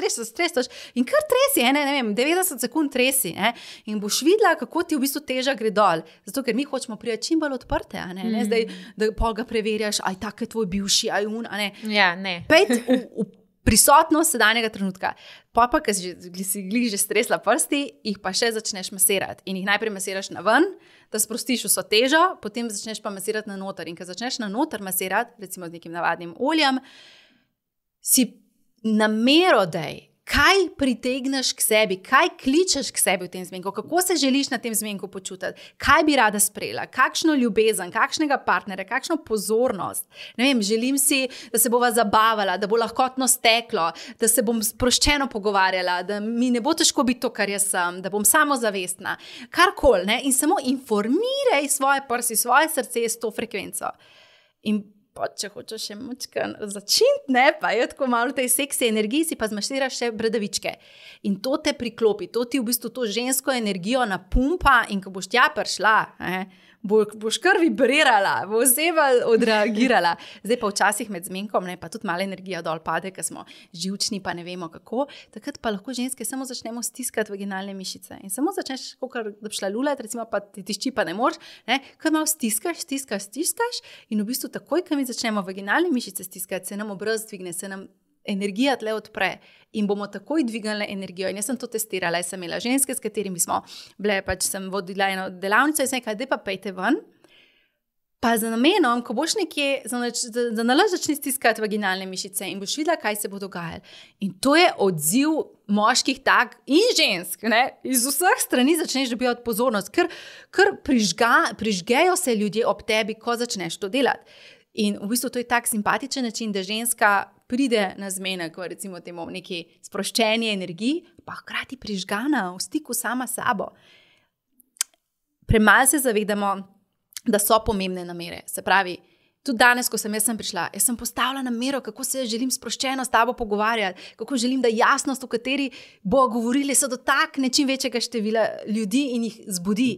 in kar tresi, ne vem, 90 sekund tresi, ne, in boš videla, kako ti v bistvu teža gre dol. Zato, ker mi hočemo priti čim bolj odprte, ne zdaj, da pol ga preverjaš, aj tak je tvoj bivši, aj un, ne. Ja, ne. Pejt v prisotnost sedanjega trenutka. Pa, ker si glih že stresla prsti, jih pa še začneš masirati. In jih najprej masiraš na ven, da sprostiš vso težo, potem začneš pa masirati na noter. In ko začneš na noter masirati, recimo z nekim navadnim oljem, si namero dej, kaj pritegneš k sebi, kaj kličeš k sebi v tem zmenku, kako se želiš na tem zmenku počutiti, kaj bi rada sprejela, kakšno ljubezen, kakšnega partnera, kakšno pozornost. Ne vem, želim si, da se bova zabavala, da bo lahkotno steklo, da se bom sproščeno pogovarjala, da mi ne bo težko biti to, kar jaz sem, da bom samozavestna, karkoli, ne, in samo informiraj svoje prsi, svoje srce s to frekvenco. In če hočeš še močkan začiniti, ne, pa je tako malo tej seksi energiji, si pa zmaširaš še bradavičke. In to te priklopi, to ti v bistvu to žensko energijo napumpa in ko boš tja prišla, boš kar vibrirala, bo oseba odreagirala. Zdaj pa včasih med zmenkom, ne, pa tudi malo energija dol pade, ker smo živčni, pa ne vemo kako, takrat pa lahko ženske samo začnemo stiskati vaginalne mišice. In samo začneš, kakor da bi šla lulat, recimo pa ti tišči pa ne moreš, ne, kar malo stiskaš in v bistvu takoj, ko mi začnemo vaginalne mišice stiskati, se nam obraz dvigne, se nam energija tle odpre in bomo takoj dvignili energijo. In jaz sem to testirala, jaz sem imela ženske, s katerimi smo bile, pač sem vodila eno delavnico in sem rekla, daj pa pejte ven, pa za namenom, ko boš nekje, za nalaž začni stiskati vaginalne mišice in boš videla, kaj se bo dogajalo. In to je odziv moških tak in žensk, ne, iz vseh strani začneš dobivati pozornost, ker prižgejo se ljudje ob tebi, ko začneš to delati. In v bistvu to je tak simpatičen način, da ženska pride na zmenek, recimo temu neki sproščeni energiji, pa hkrati prižgana v stiku sama s sabo. Premalo se zavedamo, da so pomembne namere. Se pravi, tudi danes, ko sem prišla, jaz sem postavila namero, kako se želim sproščeno s tabo pogovarjati, kako želim, da jasnost, v kateri bo govorili, se dotakne čim večjega števila ljudi in jih zbudi.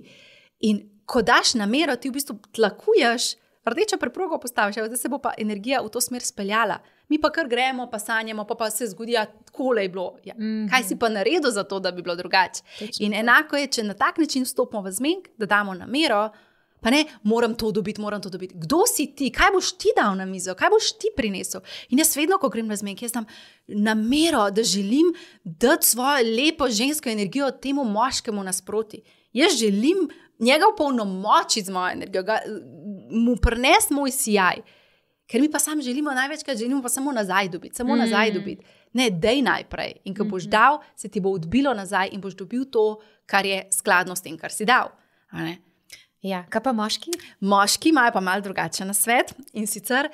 In ko daš namero, ti v bistvu tlakuješ rdečo preprogo postaviš, da se bo pa energija v to smer speljala. Mi pa kar gremo, pa sanjamo, pa se zgodi, tako je bilo. Ja. Kaj si pa naredil za to, da bi bilo drugače? In enako je, če na tak način vstopimo v zmenk, da damo namero, pa ne, moram to dobiti. Kdo si ti? Kaj boš ti dal na mizo? Kaj boš ti prinesel? In jaz vedno, ko grem na zmenk, jaz dam namero, da želim dati svojo lepo žensko energijo temu moškemu nasproti. Jaz želim njega opolnomočiti z mojo energijo, mu prinesti moj sijaj. Ker mi pa sam želimo največkrat, želimo pa samo nazaj dobiti. Ne, dej najprej. In ko boš dal, se ti bo odbilo nazaj in boš dobil to, kar je skladno s tem, kar si dal. A ne? Ja, kaj pa moški? Moški imajo pa malo drugačen nasvet in sicer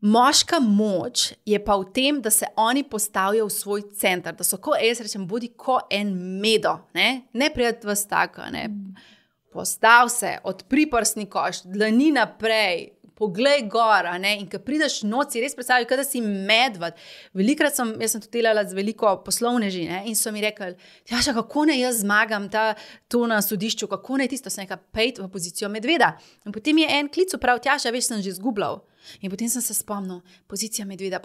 moška moč je pa v tem, da se oni postavijo v svoj center, da so, ko jaz rečem, bodi ko en medo, ne prijeti vas tako, ne. Postav se, odpri prsni koš, dlani naprej, poglej gor, in ko prideš noci, res predstavljaj, da si medved. Velikrat jaz sem tudi delala z veliko poslovneži, in so mi rekli, Tjaša, kako ne jaz zmagam to na sodišču, kako ne tisto, sem nekaj pejt v pozicijo medveda. In potem je en klic prav, Tjaša, veš, sem že zgubljal. In potem sem se spomnil, pozicija medveda,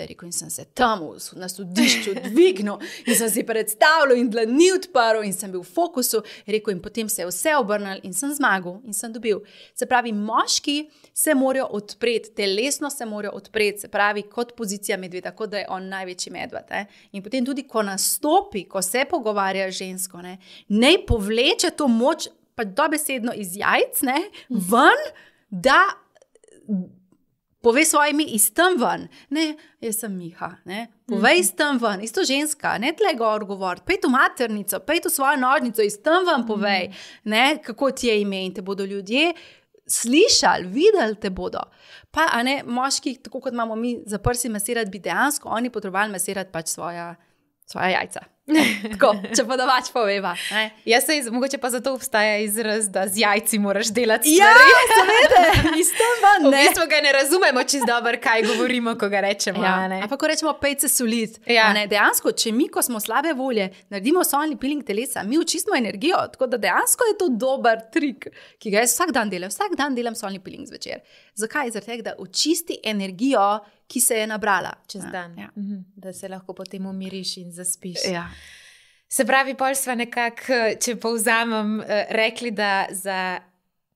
rekel, in sem se tam na sodišču dvignil in sem si predstavljal in dlani odprl in sem bil v fokusu, rekel, in potem se je vse obrnil in sem zmagal in sem dobil. Se pravi, moški se morajo odpreti, telesno se morajo odpreti, se pravi, kot pozicija medveda, kot da je on največji medved. In potem tudi, ko nastopi, ko se pogovarja žensko, ne povleče to moč, pa dobesedno iz jajc, ven, da povej svojimi iz tam ven. Ne, jaz sem Miha. Povej iz tam ven, isto ženska, ne tle gor govoriti, pejt v maternico, pejt v svojo nožnico, iz tam ven povej, kako ti je ime in te bodo ljudje slišali, videli te bodo. Pa, moški, tako kot imamo mi za prsi masirati, bi dejansko oni potrebovali masirati pač svoja jajca. Tako, če pa domač poveva. Mogoče pa zato obstaja izraz, da z jajci moraš delati stvari. Ja, seveda, iz tam ven. V bistvu ga ne razumemo čisto dobro, kaj govorimo, ko ga rečemo. Ampak ko rečemo pejce solit. Dejansko, če mi, ko smo slabe volje, naredimo solni peeling telesa, mi očistimo energijo, tako da dejansko je to dober trik, ki ga jaz vsak dan delam. Vsak dan delam solni peeling zvečer. Zakaj? Zaradi tega, da očisti energijo, ki se je nabrala čez dan, da se lahko potem umiriš in zaspiš. Ja. Se pravi, pol sva nekako, če povzamem, rekli, da za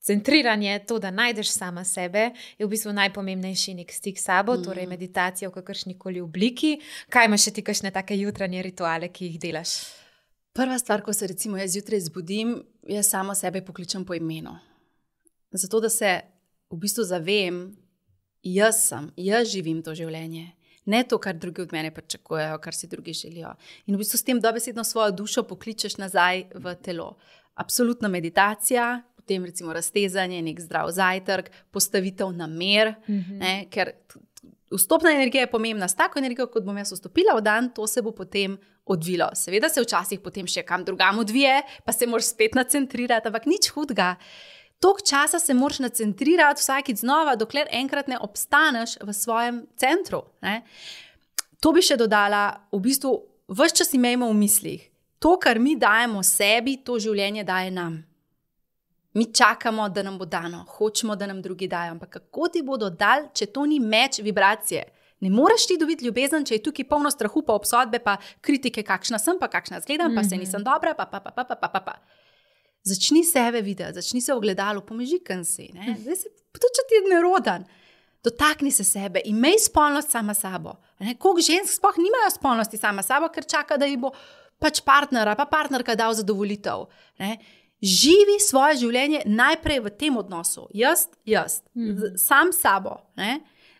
centriranje, to, da najdeš sama sebe, je v bistvu najpomembnejši nek stik s sabo, torej meditacija v kakršnikoli obliki. Kaj imaš še ti kakšne take jutranje rituale, ki jih delaš? Prva stvar, ko se recimo jaz zjutraj zbudim, jaz samo sebe pokličem po imenu. Zato, da se v bistvu zavem, jaz živim to življenje. Ne to, kar drugi od mene pričakujejo, kar si drugi želijo. In v bistvu s tem dobesedno svojo dušo pokličeš nazaj v telo. Absolutna meditacija, potem recimo raztezanje, nek zdrav zajtrk, postavitev namer, ker vstopna energija je pomembna. S tako energijo, kot bom jaz vstopila v dan, to se bo potem odvilo. Seveda se včasih potem še kam drugam odvije, pa se moraš spet nacentrirati, ampak nič hudega. Toliko časa se moraš nacentrirati vsakič znova, dokler enkrat ne obstaneš v svojem centru. To bi še dodala, v bistvu, ves čas imejmo v mislih. To, kar mi dajemo sebi, to življenje daje nam. Mi čakamo, da nam bo dano, hočemo, da nam drugi dajo, ampak kako ti bodo dali, če to ni meč vibracije? Ne moreš ti dobiti ljubezen, če je tukaj polno strahu, pa obsodbe, pa kritike, kakšna sem, pa kakšna zgledam, pa se nisem dobra, pa. Začni sebe videti, začni se v ogledalu, pomežikam si. Zdaj se tudi, če ti je nerodan. Dotakni se sebe, imej spolnost sama sabo. Koliko žensk sploh nimajo spolnosti sama sabo, ker čaka, da ji bo pač partner, pa partnerka dal zadovolitev. Živi svoje življenje najprej v tem odnosu. Jaz, sam sabo.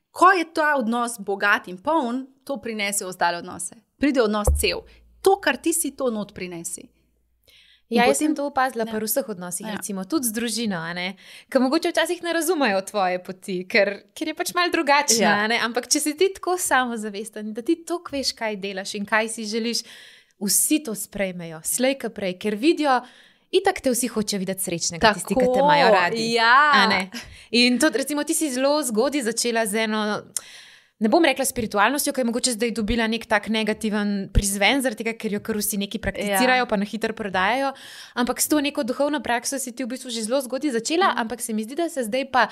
Ko je ta odnos bogat in poln, to prinese ostale odnose. Pride odnos cel. To, kar ti si, to not prinesi. Ja, jaz sem to opazila pri vseh odnosih, recimo tudi z družino, ker mogoče včasih ne razumejo tvoje poti, ker je pač malo drugačna, ampak če si ti tako samozavesten, da ti toliko veš, kaj delaš in kaj si želiš, vsi to sprejmejo, slej ka prej, ker vidijo, itak te vsi hoče videti srečnega, tisti, ki te imajo radi. In to, recimo, ti si zelo zgodaj začela z eno, ne bom rekla spiritualnostjo, ki je mogoče zdaj dobila nek tak negativen prizven, zaradi tega, ker jo kar vsi neki prakticirajo, pa na hitro prodajajo, ampak s to neko duhovno prakso si ti v bistvu že zelo zgodaj začela, ampak se mi zdi, da se zdaj pa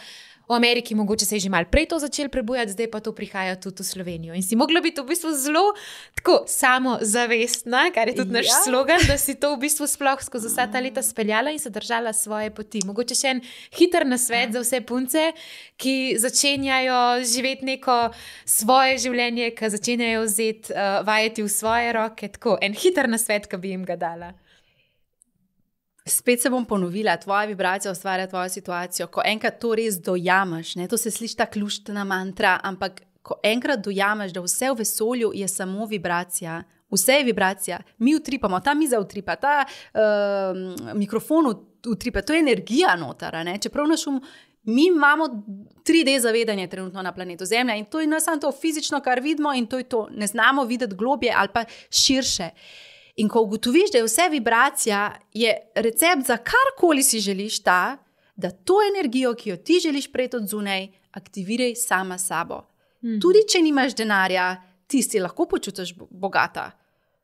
v Ameriki mogoče se je že malo prej to začelo prebujati, zdaj pa to prihaja tudi v Slovenijo. In si mogla biti v bistvu zelo tako samozavestna, kar je tudi naš slogan, da si to v bistvu sploh skozi vsa ta leta speljala in se držala svoje poti. Mogoče še en hiter nasvet za vse punce, ki začenjajo živeti neko svoje življenje, ki začenjajo vzeti vajeti v svoje roke. Tako, en hiter nasvet, ki bi jim ga dala. Spet se bom ponovila, tvoja vibracija ustvarja tvojo situacijo. Ko enkrat to res dojameš, to se sliši ta ključna mantra, ampak ko enkrat dojameš, da vse v vesolju je samo vibracija, vse je vibracija, mi utripamo, ta miza utripa, ta mikrofon utripa, to je energija noter, čeprav naš mi imamo 3D zavedanje trenutno na planetu Zemlja in to je samo to fizično, kar vidimo in to je to, ne znamo videti globje ali pa širše. In ko ugotoviš, da je vse vibracija, je recept za karkoli si želiš ta, da to energijo, ki jo ti želiš prejti od zunaj, aktiviraj sama sabo. Tudi če nimaš denarja, ti si lahko počutiš bogata.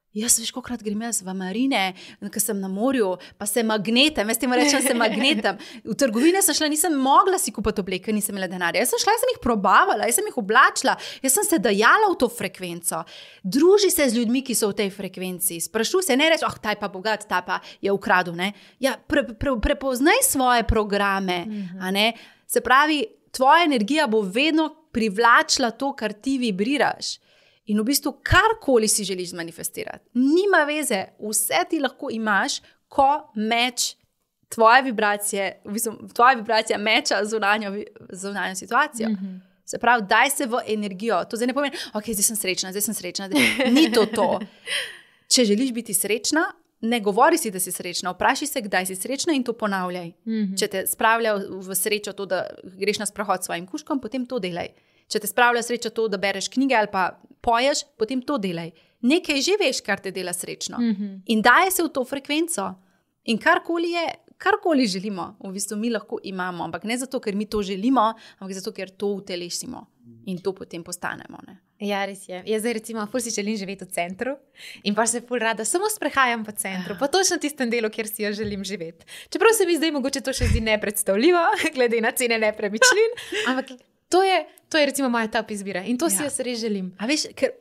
Jaz veš, kolikrat grem jaz v marine, ko sem na morju, pa se magnetam, jaz temu rečem, se magnetam. V trgovine sem šla, nisem mogla si kupiti obleke, nisem imela denarja. Jaz sem šla, jaz sem jih probavala, jaz sem jih oblačila, jaz sem se dajala v to frekvenco. Druži se z ljudmi, ki so v tej frekvenci. Sprašuj se, ne reči, ta je pa bogat, ta pa je ukradel. Ja, prepoznaj svoje programe. Se pravi, tvoja energija bo vedno privlačila to, kar ti vibriraš. In v bistvu karkoli si želiš manifestirati. Nima veze, vse ti lahko imaš, ko meč tvoje vibracije, v bistvu tvoja vibracija meča zunanjo situacijo. Se pravi, daj se v energijo. To zdaj ne pomeni, zdaj sem srečna. Ni to. Če želiš biti srečna, ne govori si, da si srečna. Vprašaj se, kdaj si srečna in to ponavljaj. Če te spravlja v srečo to, da greš na sprehod s svojim kužkom, potem to delaj. Če te spravlja sreča to, da bereš knjige ali pa poješ, potem to delaj. Nekaj že veš, kar te dela srečno. In daje se v to frekvenco. In karkoli želimo, v bistvu mi lahko imamo. Ampak ne zato, ker mi to želimo, ampak zato, ker to utelesimo. In to potem postanemo. Ja, res je. Jaz zdaj recimo ful si želim živeti v centru in pa se ful rada samo sprehajam po centru, pa točno tistem delu, kjer si jo želim živeti. Čeprav se mi zdaj mogoče to še zdi nepredstavljivo, glede na cene nepremičnin, ampak to je recimo moja top izbira in to si jaz res želim. A veš, ker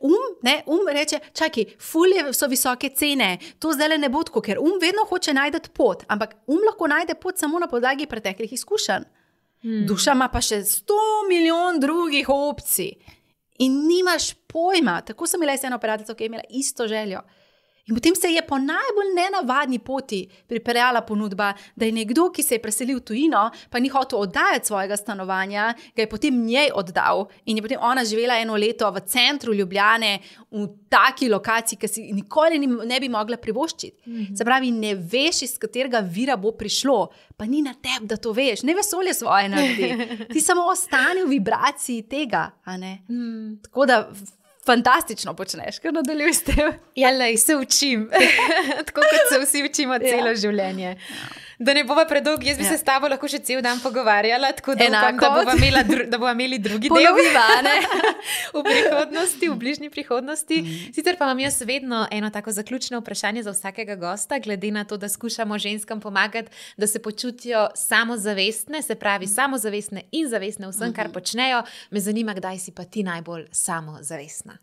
reče, čakaj, ful so visoke cene, to zdaj ne bo tako, ker vedno hoče najti pot, ampak lahko najde pot samo na podlagi preteklih izkušenj. Duša ima pa še 100 milijon drugih opcij in nimaš pojma. Tako sem imela eno operacijo, ki je imela isto željo. In potem se je po najbolj nenavadni poti pripeljala ponudba, da je nekdo, ki se je preselil v tujino, pa ni hotel oddajati svojega stanovanja, ga je potem njej oddal in je potem ona živela 1 leto v centru Ljubljane, v taki lokaciji, ki si nikoli ne bi mogla privoščiti. Se pravi, ne veš, iz katerega vira bo prišlo, pa ni na tebi, da to veš. Ne vesolje svoje naredi. Ti samo ostani v vibraciji tega, a ne? Tako da fantastično počneš, ker nadaljuj s tem. Ja, se učim. Tako kot se vsi učimo celo življenje. Da ne bova predolg, jaz bi se s tabo lahko še cel dan pogovarjala, tako da upam, da bova imeli drugi del v prihodnosti, v bližnji prihodnosti. Sicer pa imam jaz vedno eno tako zaključno vprašanje za vsakega gosta, glede na to, da skušamo ženskam pomagati, da se počutijo samozavestne, se pravi samozavestne in zavestne vsem, kar počnejo. Me zanima, kdaj si pa ti najbolj samozavestna.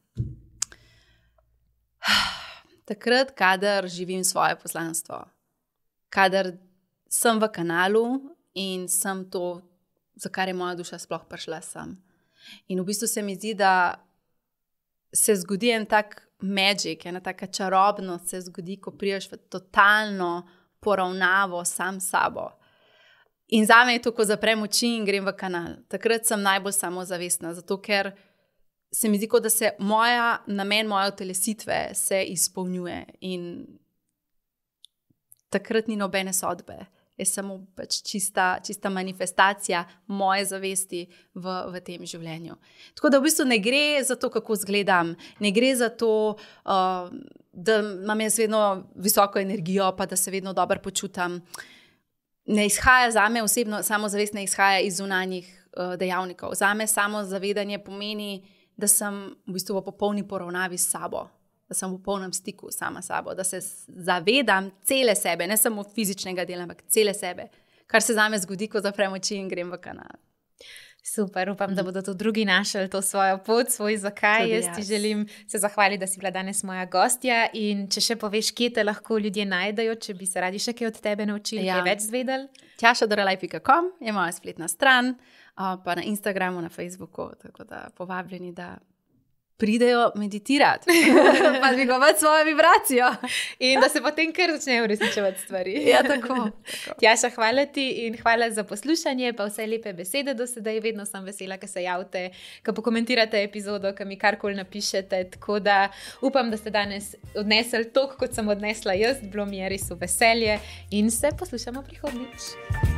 Takrat, kadar živim svoje poslanstvo. Kadar sem v kanalu in sem to, za kar je moja duša sploh prišla sem. In v bistvu se mi zdi, da se zgodi en tak magic, ena taka čarobnost se zgodi, ko priješ v totalno poravnavo sam sabo. In zame je to, ko zaprem oči in grem v kanal. Takrat sem najbolj samozavestna, zato ker se mi zdi, da se namen moje utelesitve se izpolnjuje in takrat ni nobene sodbe. Je samo pač čista manifestacija moje zavesti v tem življenju. Tako da v bistvu ne gre za to, kako izgledam, ne gre za to, da imam jaz vedno visoko energijo, pa da se vedno dobro počutam. Ne izhaja zame osebno, samozavest ne izhaja iz zunanjih dejavnikov. Zame samozavedanje pomeni, da sem v bistvu v popolni poravnavi s sabo. Da sem v polnem stiku sama sabo, da se zavedam cele sebe, ne samo fizičnega dela, ampak cele sebe, kar se zame zgodi, ko zaprem oči in grem v kanal. Super, upam, da bodo tudi drugi našli to svojo pot, svoj zakaj. Tudi Jaz ti želim se zahvaliti, da si bila danes moja gostja in če še poveš, kje te lahko ljudje najdejo, če bi se radi še kaj od tebe naučili, kaj več zvedeli. tjašadorelaj.com je moja spletna stran, pa na Instagramu, na Facebooku, tako da povabljeni, da pridejo meditirati, pa dvigovati svojo vibracijo. In da se potem kar začnejo uresničevati stvari. Ja, tako. Tjaša, hvala ti in hvala za poslušanje, pa vse lepe besede do sedaj. Vedno sem vesela, ko se javite, ko pokomentirate epizodo, ko mi karkoli napišete. Tako da upam, da ste danes odnesli toliko, kot sem odnesla jaz. Bilo mi je res v veselje in se poslušamo prihodnjič.